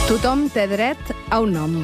Tothom té dret a un nom.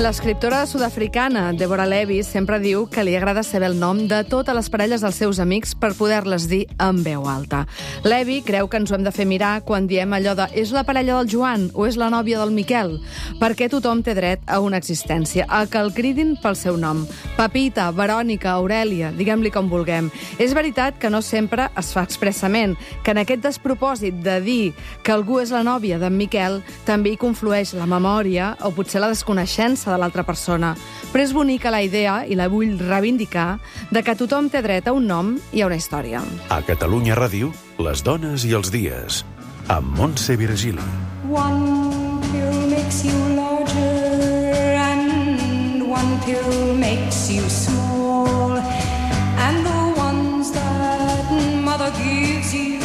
L'escriptora sud-africana Deborah Levy sempre diu que li agrada saber el nom de totes les parelles dels seus amics per poder-les dir en veu alta. Levy creu que ens ho hem de fer mirar quan diem allò de és la parella del Joan o és la nòvia del Miquel, perquè tothom té dret a una existència, a que el cridin pel seu nom. Pepita, Verònica, Aurèlia, diguem-li com vulguem. És veritat que no sempre es fa expressament, que en aquest despropòsit de dir que algú és la nòvia d'en Miquel també hi conflueix la memòria o potser la desconeixença de l'altra persona. Però és bonica la idea, i la vull reivindicar, de que tothom té dret a un nom i a una història. A Catalunya Ràdio, les dones i els dies, amb Montse Virgili. One pill makes you larger and one pill makes you small, and the ones that mother gives you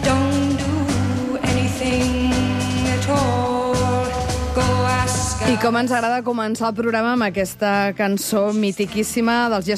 don't do anything at all. I com ens agrada començar el programa amb aquesta cançó mitiquíssima dels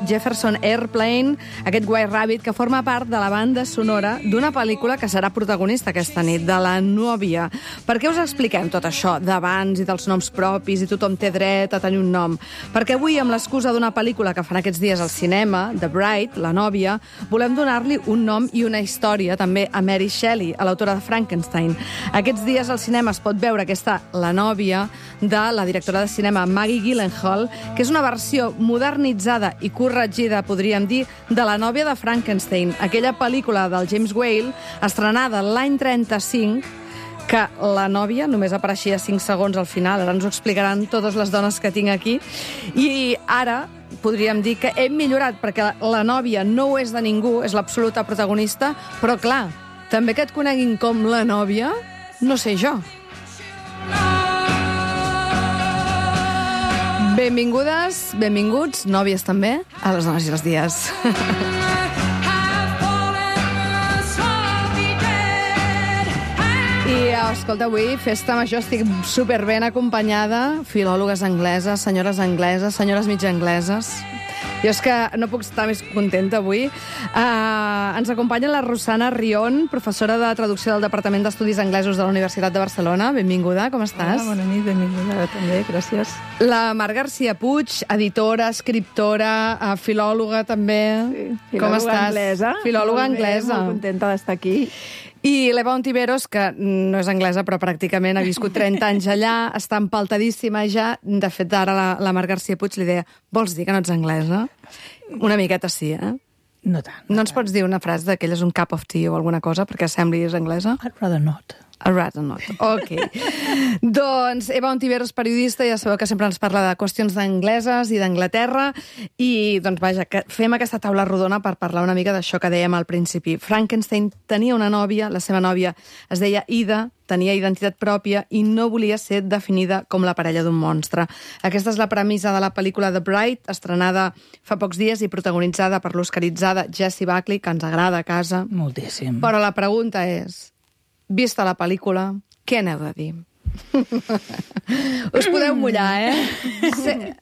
Jefferson Airplane, aquest White Rabbit, que forma part de la banda sonora d'una pel·lícula que serà protagonista aquesta nit, de La nòvia. Per què us expliquem tot això d'abans i dels noms propis i tothom té dret a tenir un nom? Perquè avui, amb l'excusa d'una pel·lícula que fan aquests dies al cinema, The Bride, La nòvia, volem donar-li un nom i una història també a Mary Shelley, a l'autora de Frankenstein. Aquests dies al cinema es pot veure aquesta La nòvia de la directora de cinema Maggie Gyllenhaal, que és una versió modernitzada i corregida, podríem dir, de La nòvia de Frankenstein, aquella pel·lícula del James Whale, estrenada l'any 35, que la nòvia només apareixia 5 segons al final. Ara ens ho explicaran totes les dones que tinc aquí. I ara podríem dir que hem millorat, perquè la nòvia no ho és de ningú, és l'absoluta protagonista, però clar, també que et coneguin com la nòvia, no sé jo. Benvingudes, benvinguts, nòvies també, a les dones i els dies. I, escolta, avui, festa major, estic superben acompanyada, filòlogues angleses, senyores mig angleses. Jo és que no puc estar més contenta avui. Ens acompanya la Rosana Rion, professora de traducció del Departament d'Estudis Anglesos de la Universitat de Barcelona. Benvinguda, com estàs? Hola, bona nit, benvinguda també, gràcies. La Mar García Puig, editora, escriptora, filòloga també. Sí, com estàs? Anglesa. Filòloga anglesa. Molt contenta d'estar aquí. I l'Eva Ontiveros, que no és anglesa, però pràcticament ha viscut 30 anys allà, està empaltadíssima ja. De fet, ara la Mar García Puig li deia, vols dir que no ets anglesa? Una miqueta sí, eh? No tant. No ens pots dir una frase d'aquelles, un cup of tea o alguna cosa, perquè semblis anglesa? I'd rather not. I'd rather not. Ok. Doncs Eva Ontiveros, periodista, ja sabeu que sempre ens parla de qüestions d'angleses i d'Anglaterra, i doncs vaja, que fem aquesta taula rodona per parlar una mica d'això que dèiem al principi. Frankenstein tenia una nòvia, la seva nòvia es deia Ida, tenia identitat pròpia i no volia ser definida com la parella d'un monstre. Aquesta és la premissa de la pel·lícula The Bride, estrenada fa pocs dies i protagonitzada per l'oscaritzada Jessie Buckley, que ens agrada a casa. Moltíssim. Però la pregunta és, vista la pel·lícula, què n'heu de dir? Us podeu mullar, eh?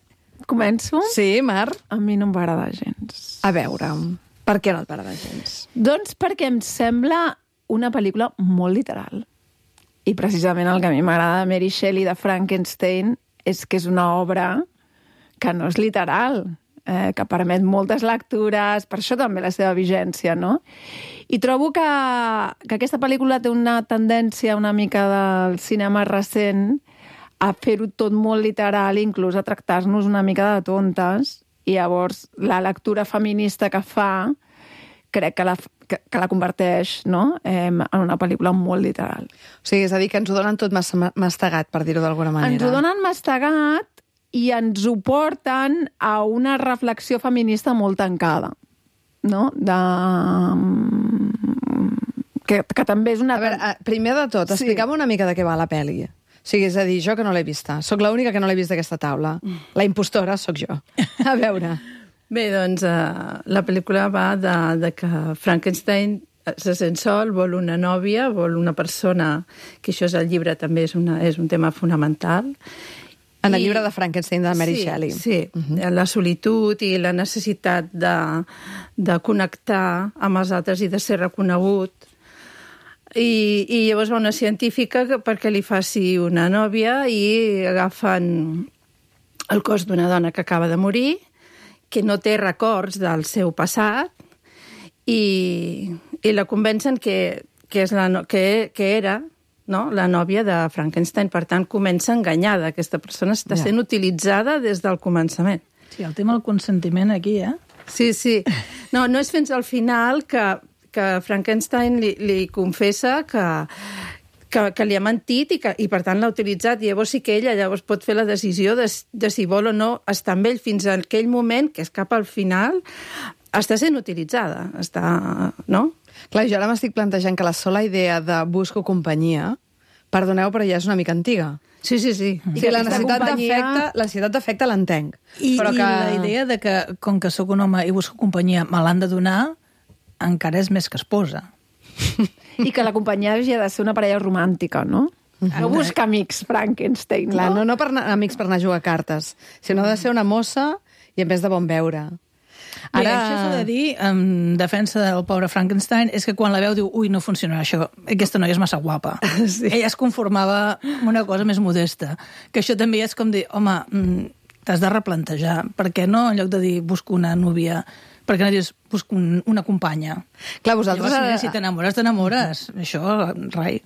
Començo? Sí, Mar? A mi no em va agradar gens. A veure, per què no et va agradar gens? Doncs perquè em sembla una pel·lícula molt literal. I precisament el que a mi m'agrada de Mary Shelley de Frankenstein és que és una obra que no és literal, que permet moltes lectures, per això també la seva vigència, no? I trobo que aquesta pel·lícula té una tendència una mica del cinema recent a fer-ho tot molt literal, inclús a tractar-nos una mica de tontes, i llavors la lectura feminista que fa crec que la converteix, no?, en una pel·lícula molt literal. O sigui, és a dir, que ens ho donen tot mastegat, per dir-ho d'alguna manera. Ens ho donen mastegat i ens ho porten a una reflexió feminista molt tancada, no? Que també és una... A veure, primer de tot, explica'm una mica de què va la pel·li. O sigui, és a dir, jo que no l'he vista. Soc l'única que no l'he vist d'aquesta taula. La impostora sóc jo. A veure... Bé, doncs, la pel·lícula va de que Frankenstein se sent sol, vol una nòvia, vol una persona, que això és el llibre també és un tema fonamental. En el llibre de Frankenstein de Mary Shelley. Sí, la solitud i la necessitat de connectar amb els altres i de ser reconegut. I llavors va una científica perquè li faci una nòvia i agafen el cos d'una dona que acaba de morir, que no té records del seu passat, i la convencen que era, no?, la nòvia de Frankenstein. Per tant, comença enganyada. Aquesta persona està sent utilitzada des del començament. Sí, el tema del consentiment aquí, Sí. No és fins al final que Frankenstein li confessa que li ha mentit i per tant l'ha utilitzat. I llavors sí que ella pot fer la decisió de si vol o no estar amb ell. Fins a aquell moment, que és cap al final, està sent utilitzada. No? Clar, jo ara m'estic plantejant que la sola idea de busco companyia, perdoneu, però ja és una mica antiga. Sí. I que la necessitat d'afecte l'entenc. I la idea de que, com que sóc un home i busco companyia, me l'han de donar, encara és més que esposa. I que la companyia hagi de ser una parella romàntica, no? No busca amics, Frankenstein, clar, no amics per anar a jugar a cartes, sinó de ser una mossa i a més de bon veure. Ara... Bé, això s'ha de dir, en defensa del pobre Frankenstein, és que quan la veu diu, ui, no funcionarà això, aquesta noia és massa guapa. Sí. Ella es conformava amb una cosa més modesta. Que això també és com dir, home, t'has de replantejar. Per què no, en lloc de dir, busco una núvia, per què no dius, busco una companya? Clar, vosaltres... Llavors, si t'enamores. Això, rai.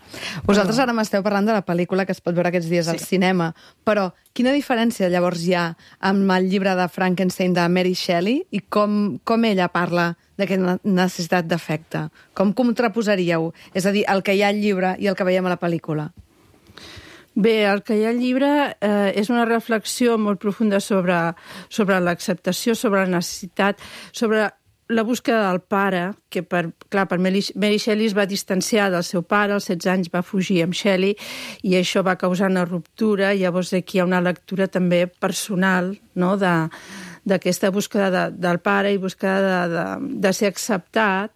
Vosaltres ara m'esteu parlant de la pel·lícula que es pot veure aquests dies al cinema, però quina diferència llavors hi ha amb el llibre de Frankenstein de Mary Shelley i com ella parla d'aquesta necessitat d'afecte? Com contraposaríeu? És a dir, el que hi ha al llibre i el que veiem a la pel·lícula. Bé, el que hi ha al llibre és una reflexió molt profunda sobre l'acceptació, sobre la necessitat, sobre la búsqueda del pare, que per Mary Shelley es va distanciar del seu pare, als 16 anys va fugir amb Shelley, i això va causar una ruptura. Llavors aquí hi ha una lectura també personal, no?, d'aquesta búsqueda del pare i búsqueda de ser acceptat.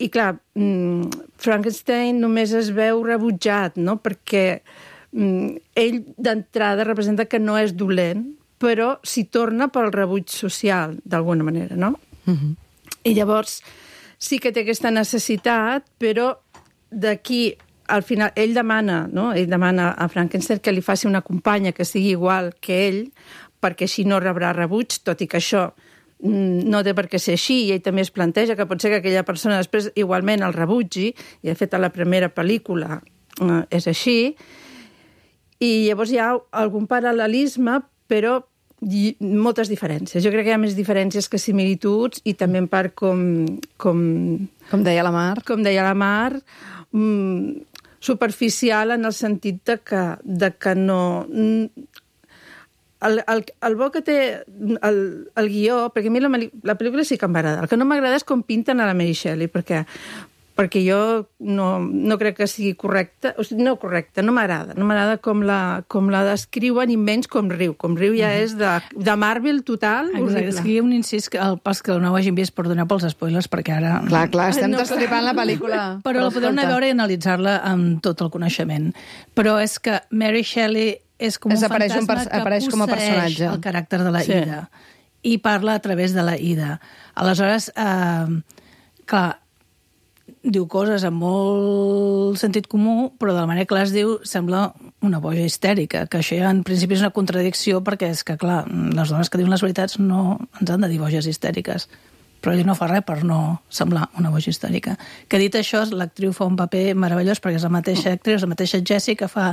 I clar, Frankenstein només es veu rebutjat, no?, perquè ell d'entrada representa que no és dolent, però s'hi torna pel rebuig social, d'alguna manera, no? I llavors sí que té aquesta necessitat, però d'aquí al final ell demana a Frankenstein que li faci una companya que sigui igual que ell, perquè així no rebrà rebuig, tot i que això no té per què ser així, i ell també es planteja que pot ser que aquella persona després igualment el rebutgi, i de fet a la primera pel·lícula és així, i llavors hi ha algun paral·lelisme, però moltes diferències. Jo crec que hi ha més diferències que similituds, i també en part com deia la Mar, superficial en el sentit de que no... El bo que té el guió, perquè a mi la pel·lícula sí que em va agradar. El que no m'agrada és com pinten a la Mary Shelley, perquè jo no crec que sigui correcta, o sigui, no correcta, no m'agrada. No m'agrada com la descriuen, i menys com riu. Com riu ja és de Marvel total. Exacte, és que hi ha un incís que pas que no ho hagin vist per donar pels spoilers, perquè ara... Clar, estem destripant la pel·lícula. Però la podeu anar a veure i analitzar-la amb tot el coneixement. Però és que Mary Shelley és com un fantasma que com a personatge. El caràcter de la Ida. I parla a través de la Ida. Aleshores, clar, diu coses amb molt sentit comú, però de la manera que les diu sembla una boja histèrica, que això ja en principi és una contradicció, perquè és que, clar, les dones que diuen les veritats no ens han de dir boges histèriques, però ell no fa res per no semblar una boja histèrica. Que dit això, l'actriu fa un paper meravellós, perquè és la mateixa actriu, és la mateixa Jessie, que fa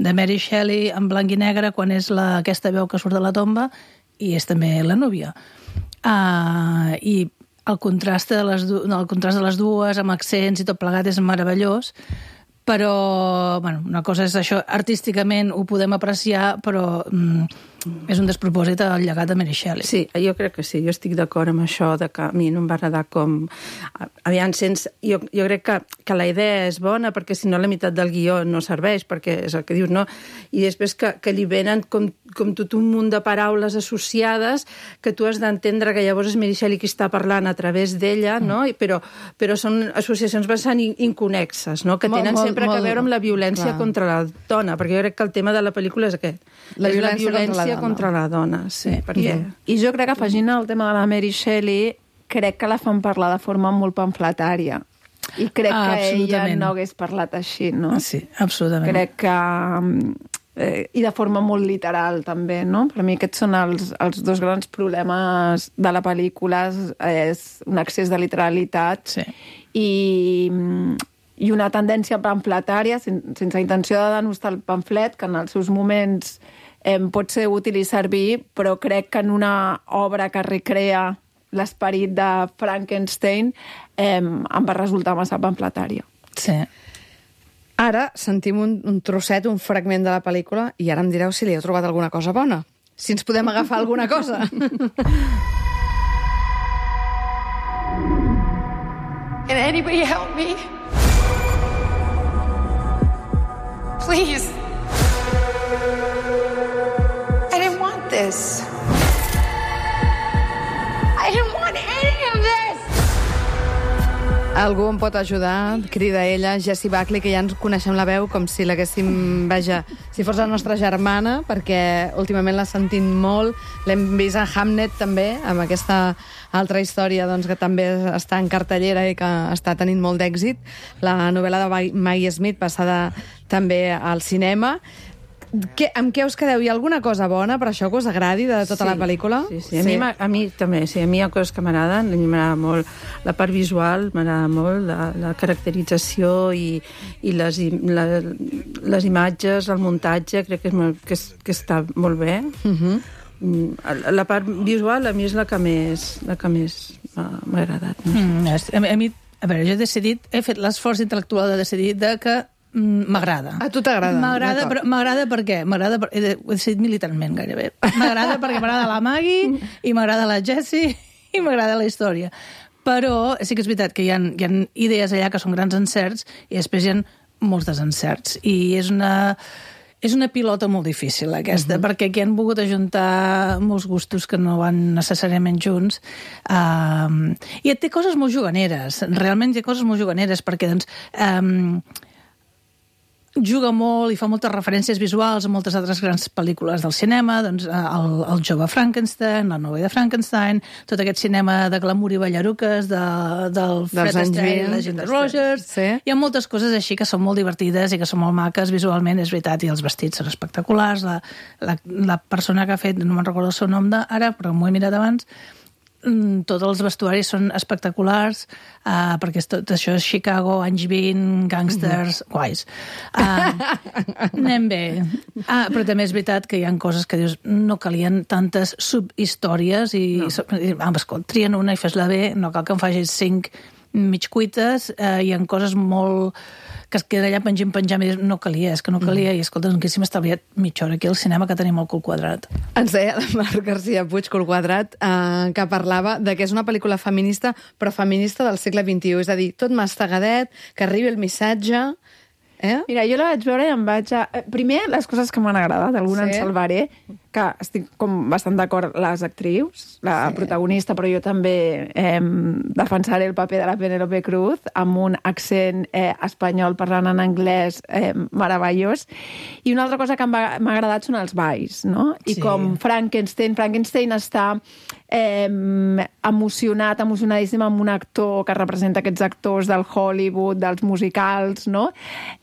de Mary Shelley en blanc i negre quan és aquesta veu que surt de la tomba, i és també la núvia. I el contrast de les dues, amb accents i tot plegat, és meravellós, però, bueno, una cosa és això, artísticament ho podem apreciar, però és un despropòsit el llegat de Mary Shelley. Sí, jo crec que sí, jo estic d'acord amb això, de que a mi no em va agradar com... Aviam, jo crec que la idea és bona, perquè si no la meitat del guió no serveix, perquè és el que dius, no? I després que li venen com tot un munt de paraules associades que tu has d'entendre que llavors és Mary Shelley qui està parlant a través d'ella, no? Però són associacions bastant inconexes, no? Que tenen sempre a veure amb la violència contra la dona, perquè jo crec que el tema de la pel·lícula és aquest. La violència contra la dona, sí. Perquè... I jo crec que afegint el tema de la Mary Shelley, crec que la fan parlar de forma molt pamfletària. I crec que ella no hagués parlat així, no? Sí, absolutament. Crec que... I de forma molt literal, també, no? Per mi aquests són els dos grans problemes de la pel·lícula, és un excés de literalitat i una tendència pamfletària, sense intenció de denostar el pamflet, que en els seus moments pot ser útil i servir, però crec que en una obra que recrea l'esperit de Frankenstein em va resultar massa pamfletària. Sí. Ara sentim un trosset, un fragment de la pel·lícula, i ara em direu si li heu trobat alguna cosa bona. Si ens podem agafar alguna cosa. Can anybody help me? Please. I didn't want this. I didn't want any of this. Algú em pot ajudar? Crida ella, Jessie Buckley, que ja ens coneixem la veu com si l'haguéssim, vaja, si fos la nostra germana, perquè últimament l'ha sentit molt. L'hem vist a Hamnet, també, amb aquesta altra història doncs, que també està en cartellera i que està tenint molt d'èxit. La novel·la de Maggie Smith, passada també al cinema. Amb què us quedeu? Hi ha alguna cosa bona per això que us agradi de tota la pel·lícula? Sí. A mi també, sí. A mi hi ha coses que m'agraden. A mi m'agrada molt la part visual, m'agrada molt la caracterització i les imatges, el muntatge, crec que està molt bé. La part visual a mi és la que més m'ha agradat. No sé. A veure, jo he fet l'esforç intel·lectual de decidir que m'agrada. A tu t'agrada? M'agrada per què? He decidit militarment, gairebé. M'agrada perquè m'agrada la Maggie i m'agrada la Jessie i m'agrada la història. Però sí que és veritat que hi ha idees allà que són grans encerts i després hi ha molts desencerts. I és una pilota molt difícil, aquesta, perquè aquí han volgut ajuntar molts gustos que no van necessàriament junts. I té coses molt juganeres. Realment hi ha coses molt juganeres, perquè doncs, juga molt i fa moltes referències visuals a moltes altres grans pel·lícules del cinema, doncs el jove Frankenstein, la novel·la de Frankenstein, tot aquest cinema de glamour i ballaruques del Fred Astaire i la Ginger Rogers. Sí. Hi ha moltes coses així que són molt divertides i que són molt maques visualment, és veritat, i els vestits són espectaculars. La persona que ha fet, no me'n recordo el seu nom ara, però m'ho he mirat abans, tots els vestuaris són espectaculars, perquè tot això és Chicago, anys 20, gàngsters, guais. Anem bé. Però també és veritat que hi ha coses que dius no calien tantes subhistòries i escolta, trien una i fes-la bé, no cal que em facis 5 mig cuites, hi ha coses molt que es queda allà penjant i dius, no calia, i escolta, no haguéssim estalviat mitja hora aquí al cinema que tenim el cul quadrat. Ens deia la Marc García Puig, Cul Quadrat, que parlava de que és una pel·lícula feminista, però feminista del segle XXI, és a dir, tot mastegadet, que arribi el missatge... Mira, jo la vaig veure i em vaig... Primer, les coses que m'han agradat, alguna en salvaré, que estic com bastant d'acord les actrius, la protagonista, però jo també defensaré el paper de la Penélope Cruz amb un accent espanyol parlant en anglès meravellós. I una altra cosa que m'ha agradat són els balls, no? I com Frankenstein està emocionadíssim amb un actor que representa aquests actors del Hollywood, dels musicals, no?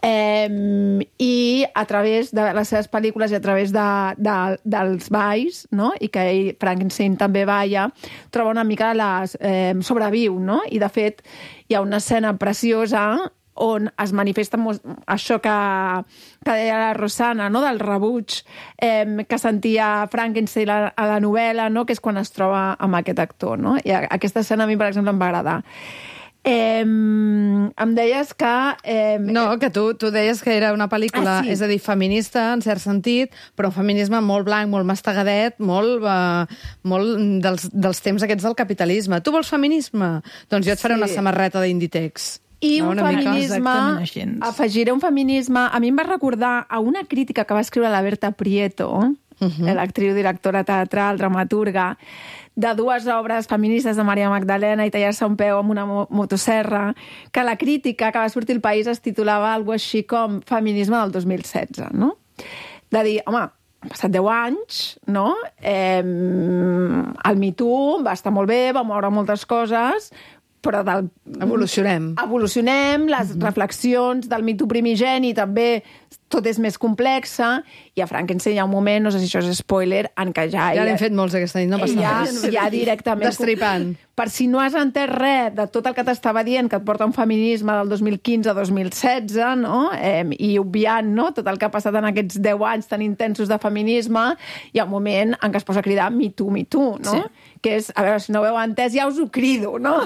I a través de les seves pel·lícules i a través dels balls, no? I que ell, Frankenstein també balla, troba una mica sobreviu, no? I de fet hi ha una escena preciosa on es manifesta això que deia la Rosana, no? Del rebuig que sentia Frankenstein a la novel·la, no? Que és quan es troba amb aquest actor, no? I aquesta escena a mi, per exemple, em va agradar. Em deies que... No, que tu deies que era una pel·lícula, sí. és a dir, feminista, en cert sentit, però un feminisme molt blanc, molt mastegadet, molt dels temps aquests del capitalisme. Tu vols feminisme? Doncs jo et faré una samarreta d'Inditex. I no, un una mica. Exactament així. feminisme, afegiré un feminisme... A mi em va recordar a una crítica que va escriure la Berta Prieto, l'actriu, directora teatral, dramaturga, de dues obres feministes de Maria Magdalena i tallar-se un peu amb una motosserra, que la crítica que va sortir al País es titulava algo així com Feminisme del 2016, no? De dir, home, han passat 10 anys, no? El Me Too va estar molt bé, va moure moltes coses, però evolucionem, les reflexions del Me Too primigeni també tot és més complexa, i a Frankenstein hi ha un moment, no sé si això és spoiler, en què ja n'hem fet molts aquesta nit, no passa res. Ja directament... Destripant. Per si no has entès res de tot el que t'estava dient, que et porta un feminisme del 2015 a 2016, no? I obviant, no?, tot el que ha passat en aquests 10 anys tan intensos de feminisme, hi ha un moment en què es posa a cridar Me Too, no? Sí. Que és, a veure, si no ho heu entès, ja us ho crido, no?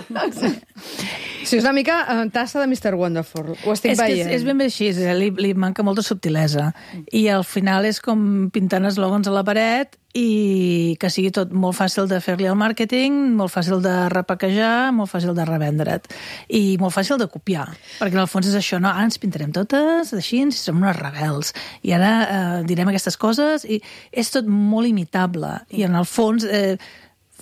Sí, és una mica tassa de Mr. Wonderful. Ho estic veient. És ben bé així, li manca molta subtilesa. I al final és com pintant eslògans a la paret i que sigui tot molt fàcil de fer-li el màrqueting, molt fàcil de repaquejar, molt fàcil de revendre't i molt fàcil de copiar, perquè en el fons és això, no? Ara ens pintarem totes així, ens som unes rebels i ara direm aquestes coses i és tot molt imitable i en el fons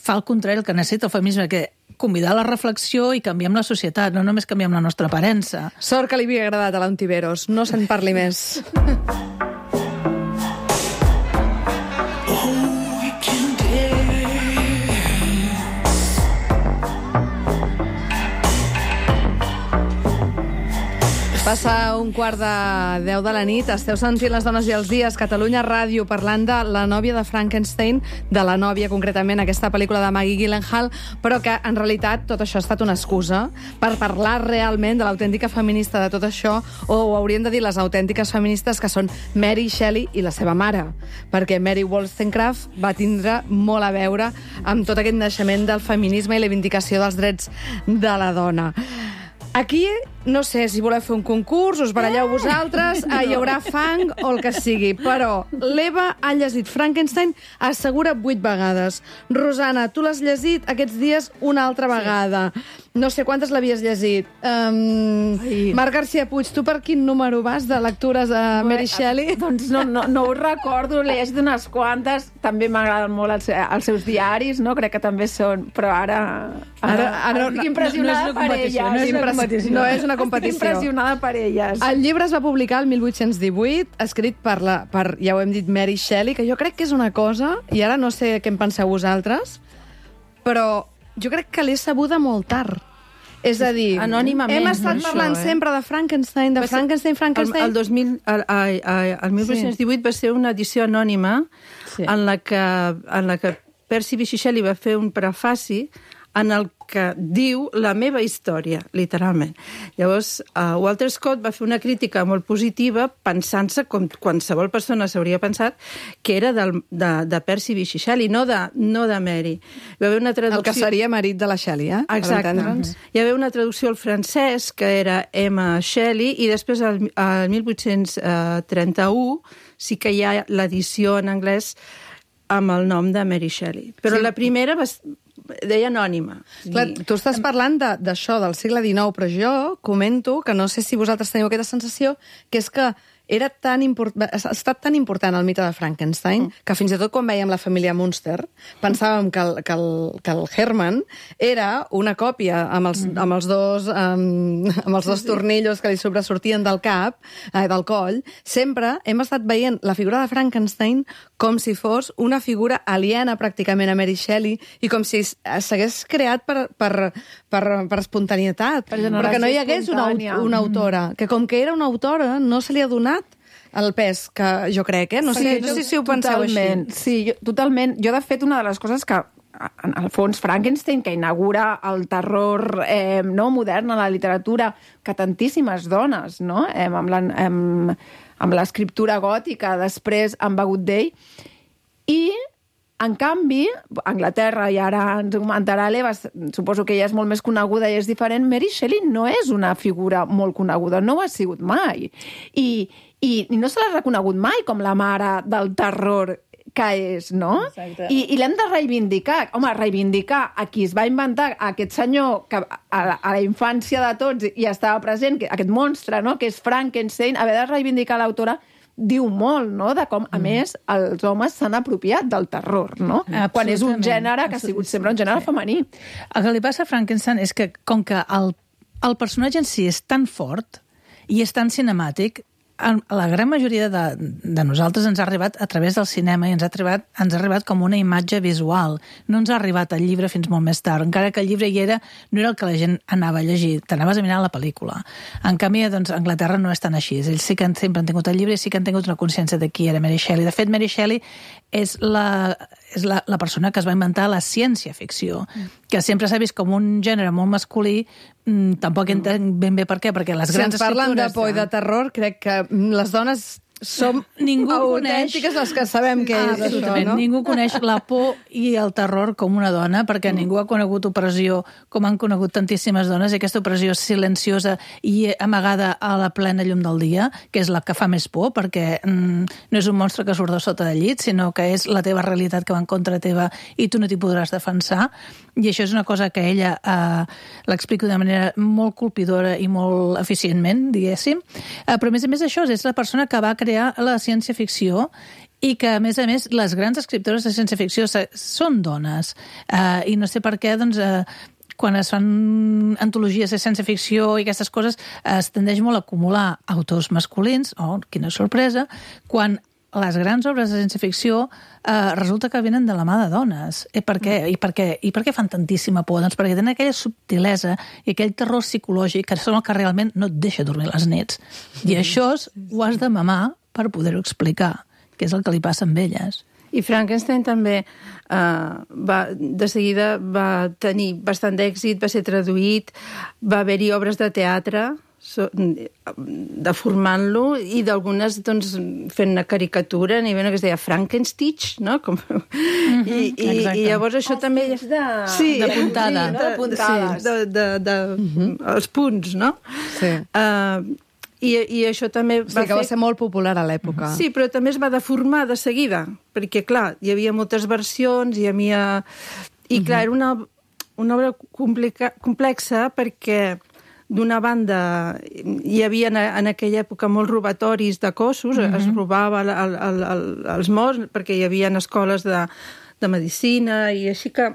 fa el contrari el que necessita el feminisme, que convidar a la reflexió i canviem la societat, no només canviem la nostra aparença. Sort que li havia agradat a l'Ontiveros, no se'n parli més. Passa 1:15 de la nit, esteu sentint Les dones i els dies, Catalunya Ràdio, parlant de La nòvia de Frankenstein, de La nòvia, concretament, aquesta pel·lícula de Maggie Gyllenhaal, però que, en realitat, tot això ha estat una excusa per parlar realment de l'autèntica feminista de tot això, o ho hauríem de dir les autèntiques feministes, que són Mary Shelley i la seva mare, perquè Mary Wollstonecraft va tindre molt a veure amb tot aquest naixement del feminisme i la vindicació dels drets de la dona. Aquí, no sé si voleu fer un concurs, us baralleu vosaltres, hi haurà fang o el que sigui, però l'Eva ha llegit Frankenstein, assegura 8 vegades. Rosana, tu l'has llegit aquests dies una altra vegada. No sé quantes l'havies llegit. Marc García Puig, tu per quin número vas de lectures a Mary Shelley? Doncs no ho recordo, l'he llegit unes quantes, també m'agraden molt els seus diaris, no? Crec que també són, però ara estic impressionada per elles. No és una competició. Estic impressionada per elles. El llibre es va publicar el 1818, escrit per, ja ho hem dit, Mary Shelley, que jo crec que és una cosa, i ara no sé què en penseu vosaltres, però jo crec que l'he sabuda molt tard. És a dir, anònimament, hem estat parlant sempre de Frankenstein, El 1818 va ser una edició anònima en la que Percy Bysshe Shelley va fer un prefaci en el que diu la meva història, literalment. Llavors, Walter Scott va fer una crítica molt positiva pensant-se, com qualsevol persona s'hauria pensat, que era de Percy Bysshe Shelley, no de Mary. Hi va haver una traducció... El que seria marit de la Shelley, Exacte. Hi va haver una traducció al francès, que era M. Shelley, i després, el 1831, sí que hi ha l'edició en anglès amb el nom de Mary Shelley. Però la primera deia anònima. Clar, tu estàs parlant d'això, del segle XIX, però jo comento que no sé si vosaltres teniu aquesta sensació, que és que ha estat tan important el mite de Frankenstein que fins i tot quan veiem la família Munster pensàvem que el Herman era una còpia amb els dos tornillos que li sobresortien del cap, del coll. Sempre hem estat veient la figura de Frankenstein com si fos una figura aliena pràcticament a Mary Shelley i com si s'hagués creat per espontanietat, perquè no hi hagués una autora, que com que era una autora no se li ha donat el pes que jo crec, No sé si ho penseu així. Sí, totalment. Jo, de fet, una de les coses que, en el fons, Frankenstein, que inaugura el terror modern a la literatura, que tantíssimes dones, no?, amb l'escriptura gòtica, després han begut d'ell, i En canvi, Anglaterra, i ara ens ho comentarà l'Eva, suposo que ella és molt més coneguda i és diferent, Mary Shelley no és una figura molt coneguda, no ho ha sigut mai. I no se l'ha reconegut mai com la mare del terror que és, no? Exacte. I l'hem de reivindicar. Home, reivindicar a qui es va inventar aquest senyor que a la infància de tots i estava present, aquest monstre, no?, que és Frankenstein, haver de reivindicar l'autora diu molt, no?, de com, a més, els homes s'han apropiat del terror, no? Quan és un gènere que ha sigut sempre un gènere femení. El que li passa a Frankenstein és que, com que el personatge en si és tan fort i és tan cinemàtic, la gran majoria de nosaltres ens ha arribat a través del cinema i ens ha arribat com una imatge visual. No ens ha arribat el llibre fins molt més tard. Encara que el llibre hi era, no era el que la gent anava a llegir. T'anaves a mirar la pel·lícula. En canvi, doncs, a Anglaterra no és tan així. Ells sí que sempre han tingut el llibre i sí que han tingut una consciència de qui era Mary Shelley. De fet, Mary Shelley és la persona que es va inventar la ciència-ficció, que sempre s'ha vist com un gènere molt masculí. Tampoc entenc ben bé per què, perquè les grans escriptores... Si ens parlen de por i de terror, crec que les dones som autèntiques les que sabem què és això, no? Ningú coneix la por i el terror com una dona, perquè ningú ha conegut opressió com han conegut tantíssimes dones, i aquesta opressió silenciosa i amagada a la plena llum del dia, que és la que fa més por, perquè no és un monstre que surt de sota del llit, sinó que és la teva realitat que va en contra teva i tu no t'hi podràs defensar. I això és una cosa que ella l'explica d'una manera molt colpidora i molt eficientment, diguéssim. Però, a més això, és la persona que va crear la ciència-ficció i que, a més, les grans escriptores de ciència-ficció són dones. I no sé per què, doncs, quan es fan antologies de ciència-ficció i aquestes coses, es tendeix molt a acumular autors masculins, quina sorpresa, quan les grans obres de ciència-ficció resulta que venen de la mà de dones. Per què? I per què fan tantíssima por? Doncs perquè tenen aquella subtilesa i aquell terror psicològic que són el que realment no et deixa dormir les nits. I això ho has de mamar per poder-ho explicar, que és el que li passa amb elles. I Frankenstein també de seguida va tenir bastant d'èxit, va ser traduït, va haver-hi obres de teatre deformant-lo i d'algunes doncs, fent una caricatura a nivell que es deia Frankenstitch, no? I llavors això també... De puntada. Els punts, no? Sí. I això també va que va ser molt popular a l'època. Sí, però també es va deformar de seguida, perquè, clar, hi havia moltes versions, hi havia... I, clar, era una obra complexa perquè d'una banda, hi havia en aquella època molts robatoris de cossos, es robava els morts, perquè hi havia escoles de medicina, i així que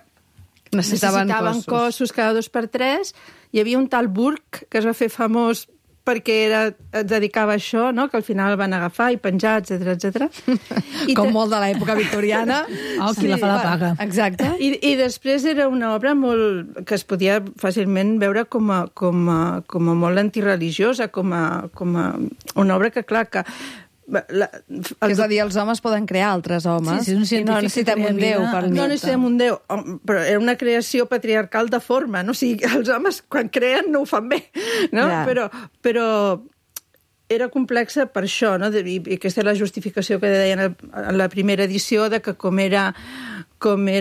necessitaven cossos cada 2 per 3. Hi havia un tal Burke que es va fer famós perquè es dedicava a això, no? Que al final el van agafar i penjar, etc. Com molt de l'època victoriana. Qui la fa la paga. Exacte. I després era una obra molt que es podia fàcilment veure com a molt antireligiosa, com a una obra que, clar, que... És a dir, els homes poden crear altres homes. Sí, i no necessitem un déu per no necessitem un déu, però era una creació patriarcal de forma, no? O sigui, els homes quan creen no ho fan bé, no? Ja. Però era complexa per això, no? I aquesta és la justificació que deien en la primera edició, de que com era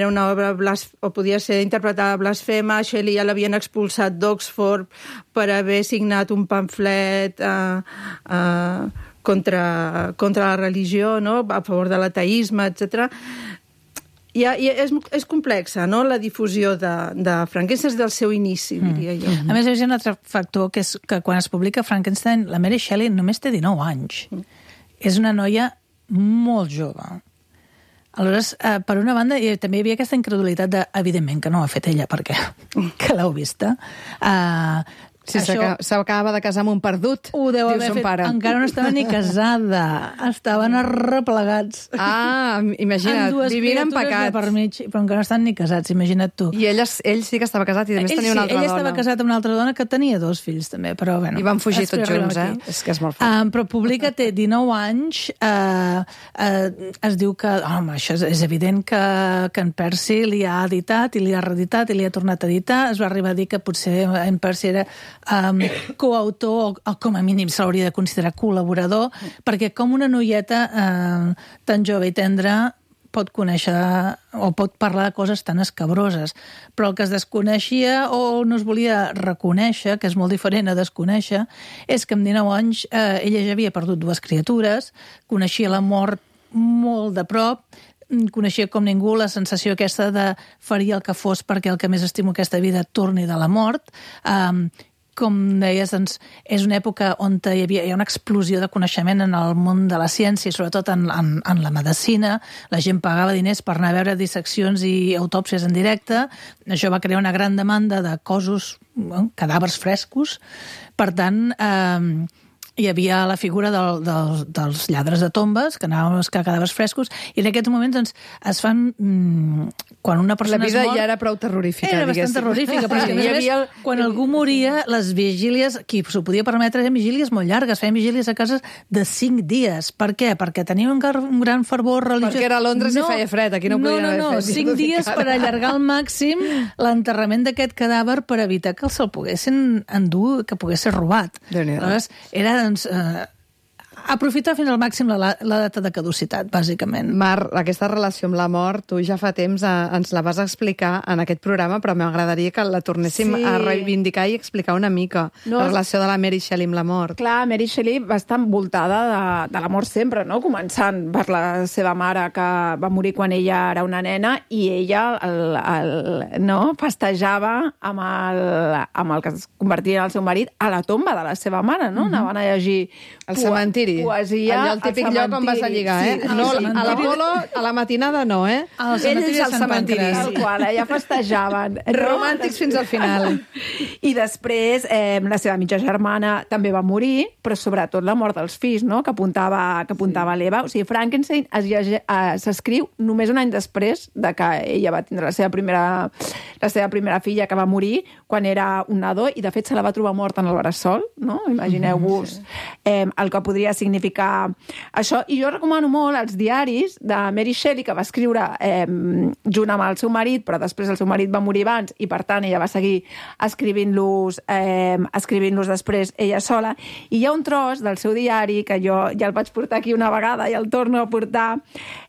una obra o podia ser interpretada blasfema, Shelley ja l'havien expulsat d'Oxford per haver signat un pamflet contra la religió, no? A favor de l'ateisme, etc. I és complexa, no?, la difusió de Frankenstein del seu inici, diria jo. A més, hi ha un altre factor, que és que quan es publica Frankenstein, la Mary Shelley només té 19 anys. És una noia molt jove. Aleshores, per una banda, també hi havia aquesta incredulitat de, evidentment, que no ho ha fet ella, perquè que l'heu vista. Sí, s'acaba de casar amb un perdut. Ho deu haver fet. Pare. Encara no estava ni casada. Estaven arreplegats. Imagina't, vivint en pecat. Per mig, però encara no estan ni casats, imagina't tu. I ell sí que estava casat i a més tenia una altra dona. Ell estava casat amb una altra dona que tenia 2 fills, també, però bueno. I van fugir tots junts, És que és molt fort. Però publica, té 19 anys, es diu que, això és evident que en Percy li ha editat i li ha reeditat i li ha tornat a editar. Es va arribar a dir que potser en Percy era coautor, o com a mínim s'hauria de considerar col·laborador, perquè com una noieta tan jove i tendra pot conèixer o pot parlar de coses tan escabroses, però el que es desconeixia o no es volia reconèixer, que és molt diferent a desconèixer, és que amb 19 anys ella ja havia perdut 2 criatures, coneixia la mort molt de prop, coneixia com ningú la sensació aquesta de faria el que fos perquè el que més estimo aquesta vida torni de la mort. Com deies, doncs, és una època on hi ha una explosió de coneixement en el món de la ciència, sobretot en la medicina. La gent pagava diners per anar a veure disseccions i autòpsies en directe. Això va crear una gran demanda de cossos, cadàvers frescos. Per tant, hi havia la figura dels lladres de tombes, que anaven a buscar cadàvers frescos, i en aquests moments doncs, es fan... Quan una persona la vida es mor, ja era prou terrorífica, era bastant terrorífica, però a més, quan algú moria, les vigílies, qui s'ho podia permetre, eren vigílies molt llargues, feien vigílies a cases de 5 dies. Per què? Perquè tenien un gran fervor religiós. Perquè era a Londres i feia fred, aquí no podien haver fet. 5 dies per allargar al màxim l'enterrament d'aquest cadàver per evitar que se'l poguessin endur, que pogués ser robat. Aleshores, era doncs, aprofitar fins al màxim la data de caducitat, bàsicament. Mar, aquesta relació amb la mort, tu ja fa temps ens la vas explicar en aquest programa, però m'agradaria que la tornéssim a reivindicar i explicar una mica, la relació de la Mary Shelley amb la mort. Clar, Mary Shelley va estar envoltada de la mort sempre, no? Començant per la seva mare, que va morir quan ella era una nena, i ella festejava amb el que es convertia en el seu marit a la tomba de la seva mare, no? Anaven a llegir al cementiri. Poesia, allò el típic lloc on vas a lligar, eh? Sí, no, a l'Apolo, a la matinada no, eh? Ells al cementiri. Tal qual, ja festejaven. Romàntics fins al final. I després la seva mitja germana també va morir, però sobretot la mort dels fills, no? que apuntava l'Eva. O sigui, Frankenstein s'escriu només un any després de que ella va tindre la seva primera filla, que va morir quan era un nadó, i de fet se la va trobar morta en el bressol, no? Imagineu-vos el que podria significar això. I jo recomano molt els diaris de Mary Shelley, que va escriure junt amb el seu marit, però després el seu marit va morir abans i, per tant, ella va seguir escrivint-los després ella sola. I hi ha un tros del seu diari, que jo ja el vaig portar aquí una vegada i el torno a portar,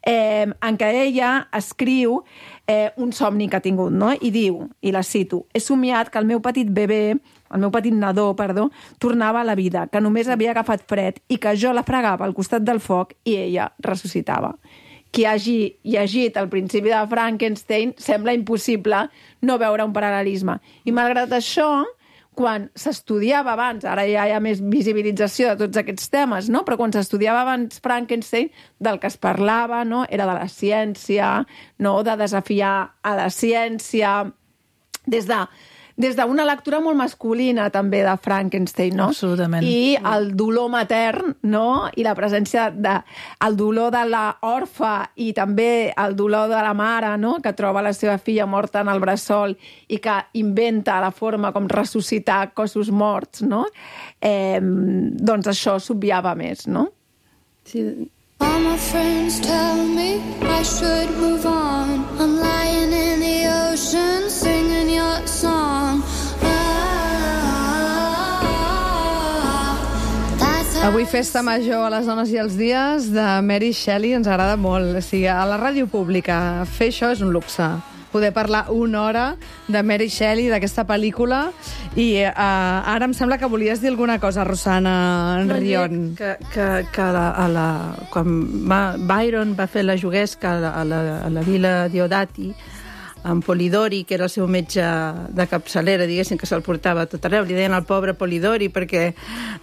en què ella escriu un somni que ha tingut, no? I diu, i la cito: he somiat que el meu petit nadó, tornava a la vida, que només havia agafat fred i que jo la fregava al costat del foc i ella ressuscitava. Qui hagi llegit el principi de Frankenstein sembla impossible no veure un paral·lelisme. I malgrat això, quan s'estudiava abans, ara ja hi ha més visibilització de tots aquests temes, no? Però quan s'estudiava abans Frankenstein, del que es parlava, no? Era de la ciència, no? De desafiar a la ciència, des d'una lectura molt masculina també de Frankenstein, no? Absolutament. I el dolor matern, no? I la presència el dolor de l'orfa i també el dolor de la mare, no? Que troba la seva filla morta en el bressol i que inventa la forma com ressuscitar cossos morts, no? Doncs això s'obviava més, no? Sí. All my friends tell me I should move on. I'm lying in the ocean singing your song. Avui festa major a les dones i els dies de Mary Shelley ens agrada molt. O sigui, a la ràdio pública fer això és un luxe. Poder parlar una hora de Mary Shelley, d'aquesta pel·lícula. I ara em sembla que volies dir alguna cosa, Rosana Rion. Quan Byron va fer la juguesca a la vila Diodati, amb Polidori, que era el seu metge de capçalera, diguéssim, que se'l portava a tot arreu. Li deien el pobre Polidori perquè...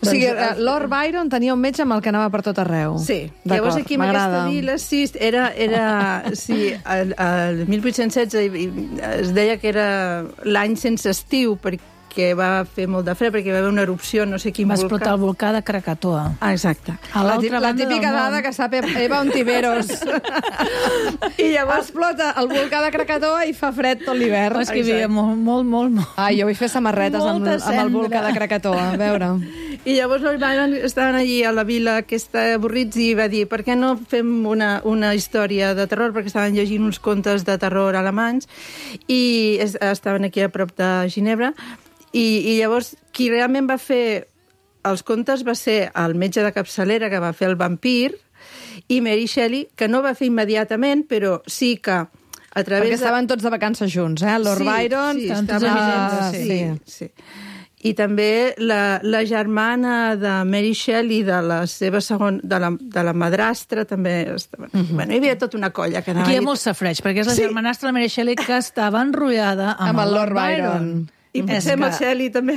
O sigui, Lord Byron tenia un metge amb el que anava per tot arreu. Sí. Llavors aquí en aquesta vila, sí, el 1816 es deia que era l'any sense estiu, perquè va fer molt de fred, perquè va haver una erupció, no sé quin volcà. Va explotar el volcà de Krakatoa. Ah, exacte. La típica dada que sap Eva Ontiveros. I llavors explota el volcà de Krakatoa i fa fred tot l'hivern. És que hi havia molt. Ai, jo vull fer samarretes amb el volcà de Krakatoa, a veure. I llavors Lord Byron estaven allí a la vila aquesta avorrits i va dir, per què no fem una història de terror, perquè estaven llegint uns contes de terror alemanys i estaven aquí a prop de Ginebra. I llavors, qui realment va fer els contes va ser el metge de capçalera que va fer el vampir, i Mary Shelley, que no va fer immediatament, però sí que a través Perquè estaven tots de vacances junts, Lord Byron... Sí, estaven tots evidents, sí. I també la germana de Mary Shelley, de la seva de la madrastra, també estava... Bueno, hi havia tota una colla que anava... Aquí hi ha molt safreig, perquè és la germanastra de la Mary Shelley que estava enrotllada amb el Lord Byron. I potser amb el Shelley, també.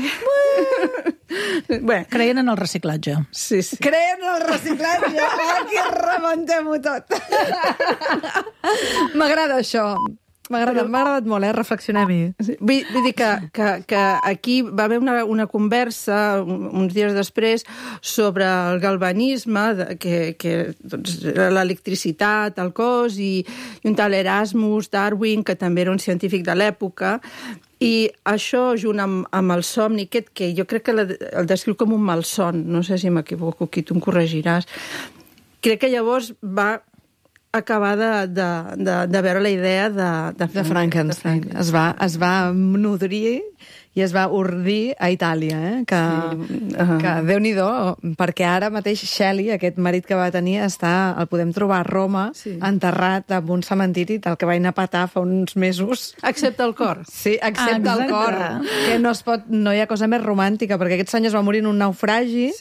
Bueno, creien en el reciclatge. Sí. Creien en el reciclatge. Aquí rebentem-ho tot. M'agrada això. M'ha agradat molt, reflexionem-hi. Vull dir que aquí va haver una conversa uns dies després sobre el galvanisme, que doncs, l'electricitat, el cos, i un tal Erasmus Darwin, que també era un científic de l'època, i això, junt amb el somni aquest, que jo crec que el descriu com un malson, no sé si m'equivoco, aquí tu em corregiràs, crec que llavors va acabar de veure la idea de Frankenstein. Es va nodrir i es va ordir a Itàlia, que Déu-n'hi-do, perquè ara mateix Shelley, aquest marit que va tenir, el podem trobar a Roma, enterrat en un cementiri del que va anar a petar fa uns mesos. Excepte el cor. Sí, excepte el cor. Que no hi ha cosa més romàntica, perquè aquest senyor es va morir en un naufragi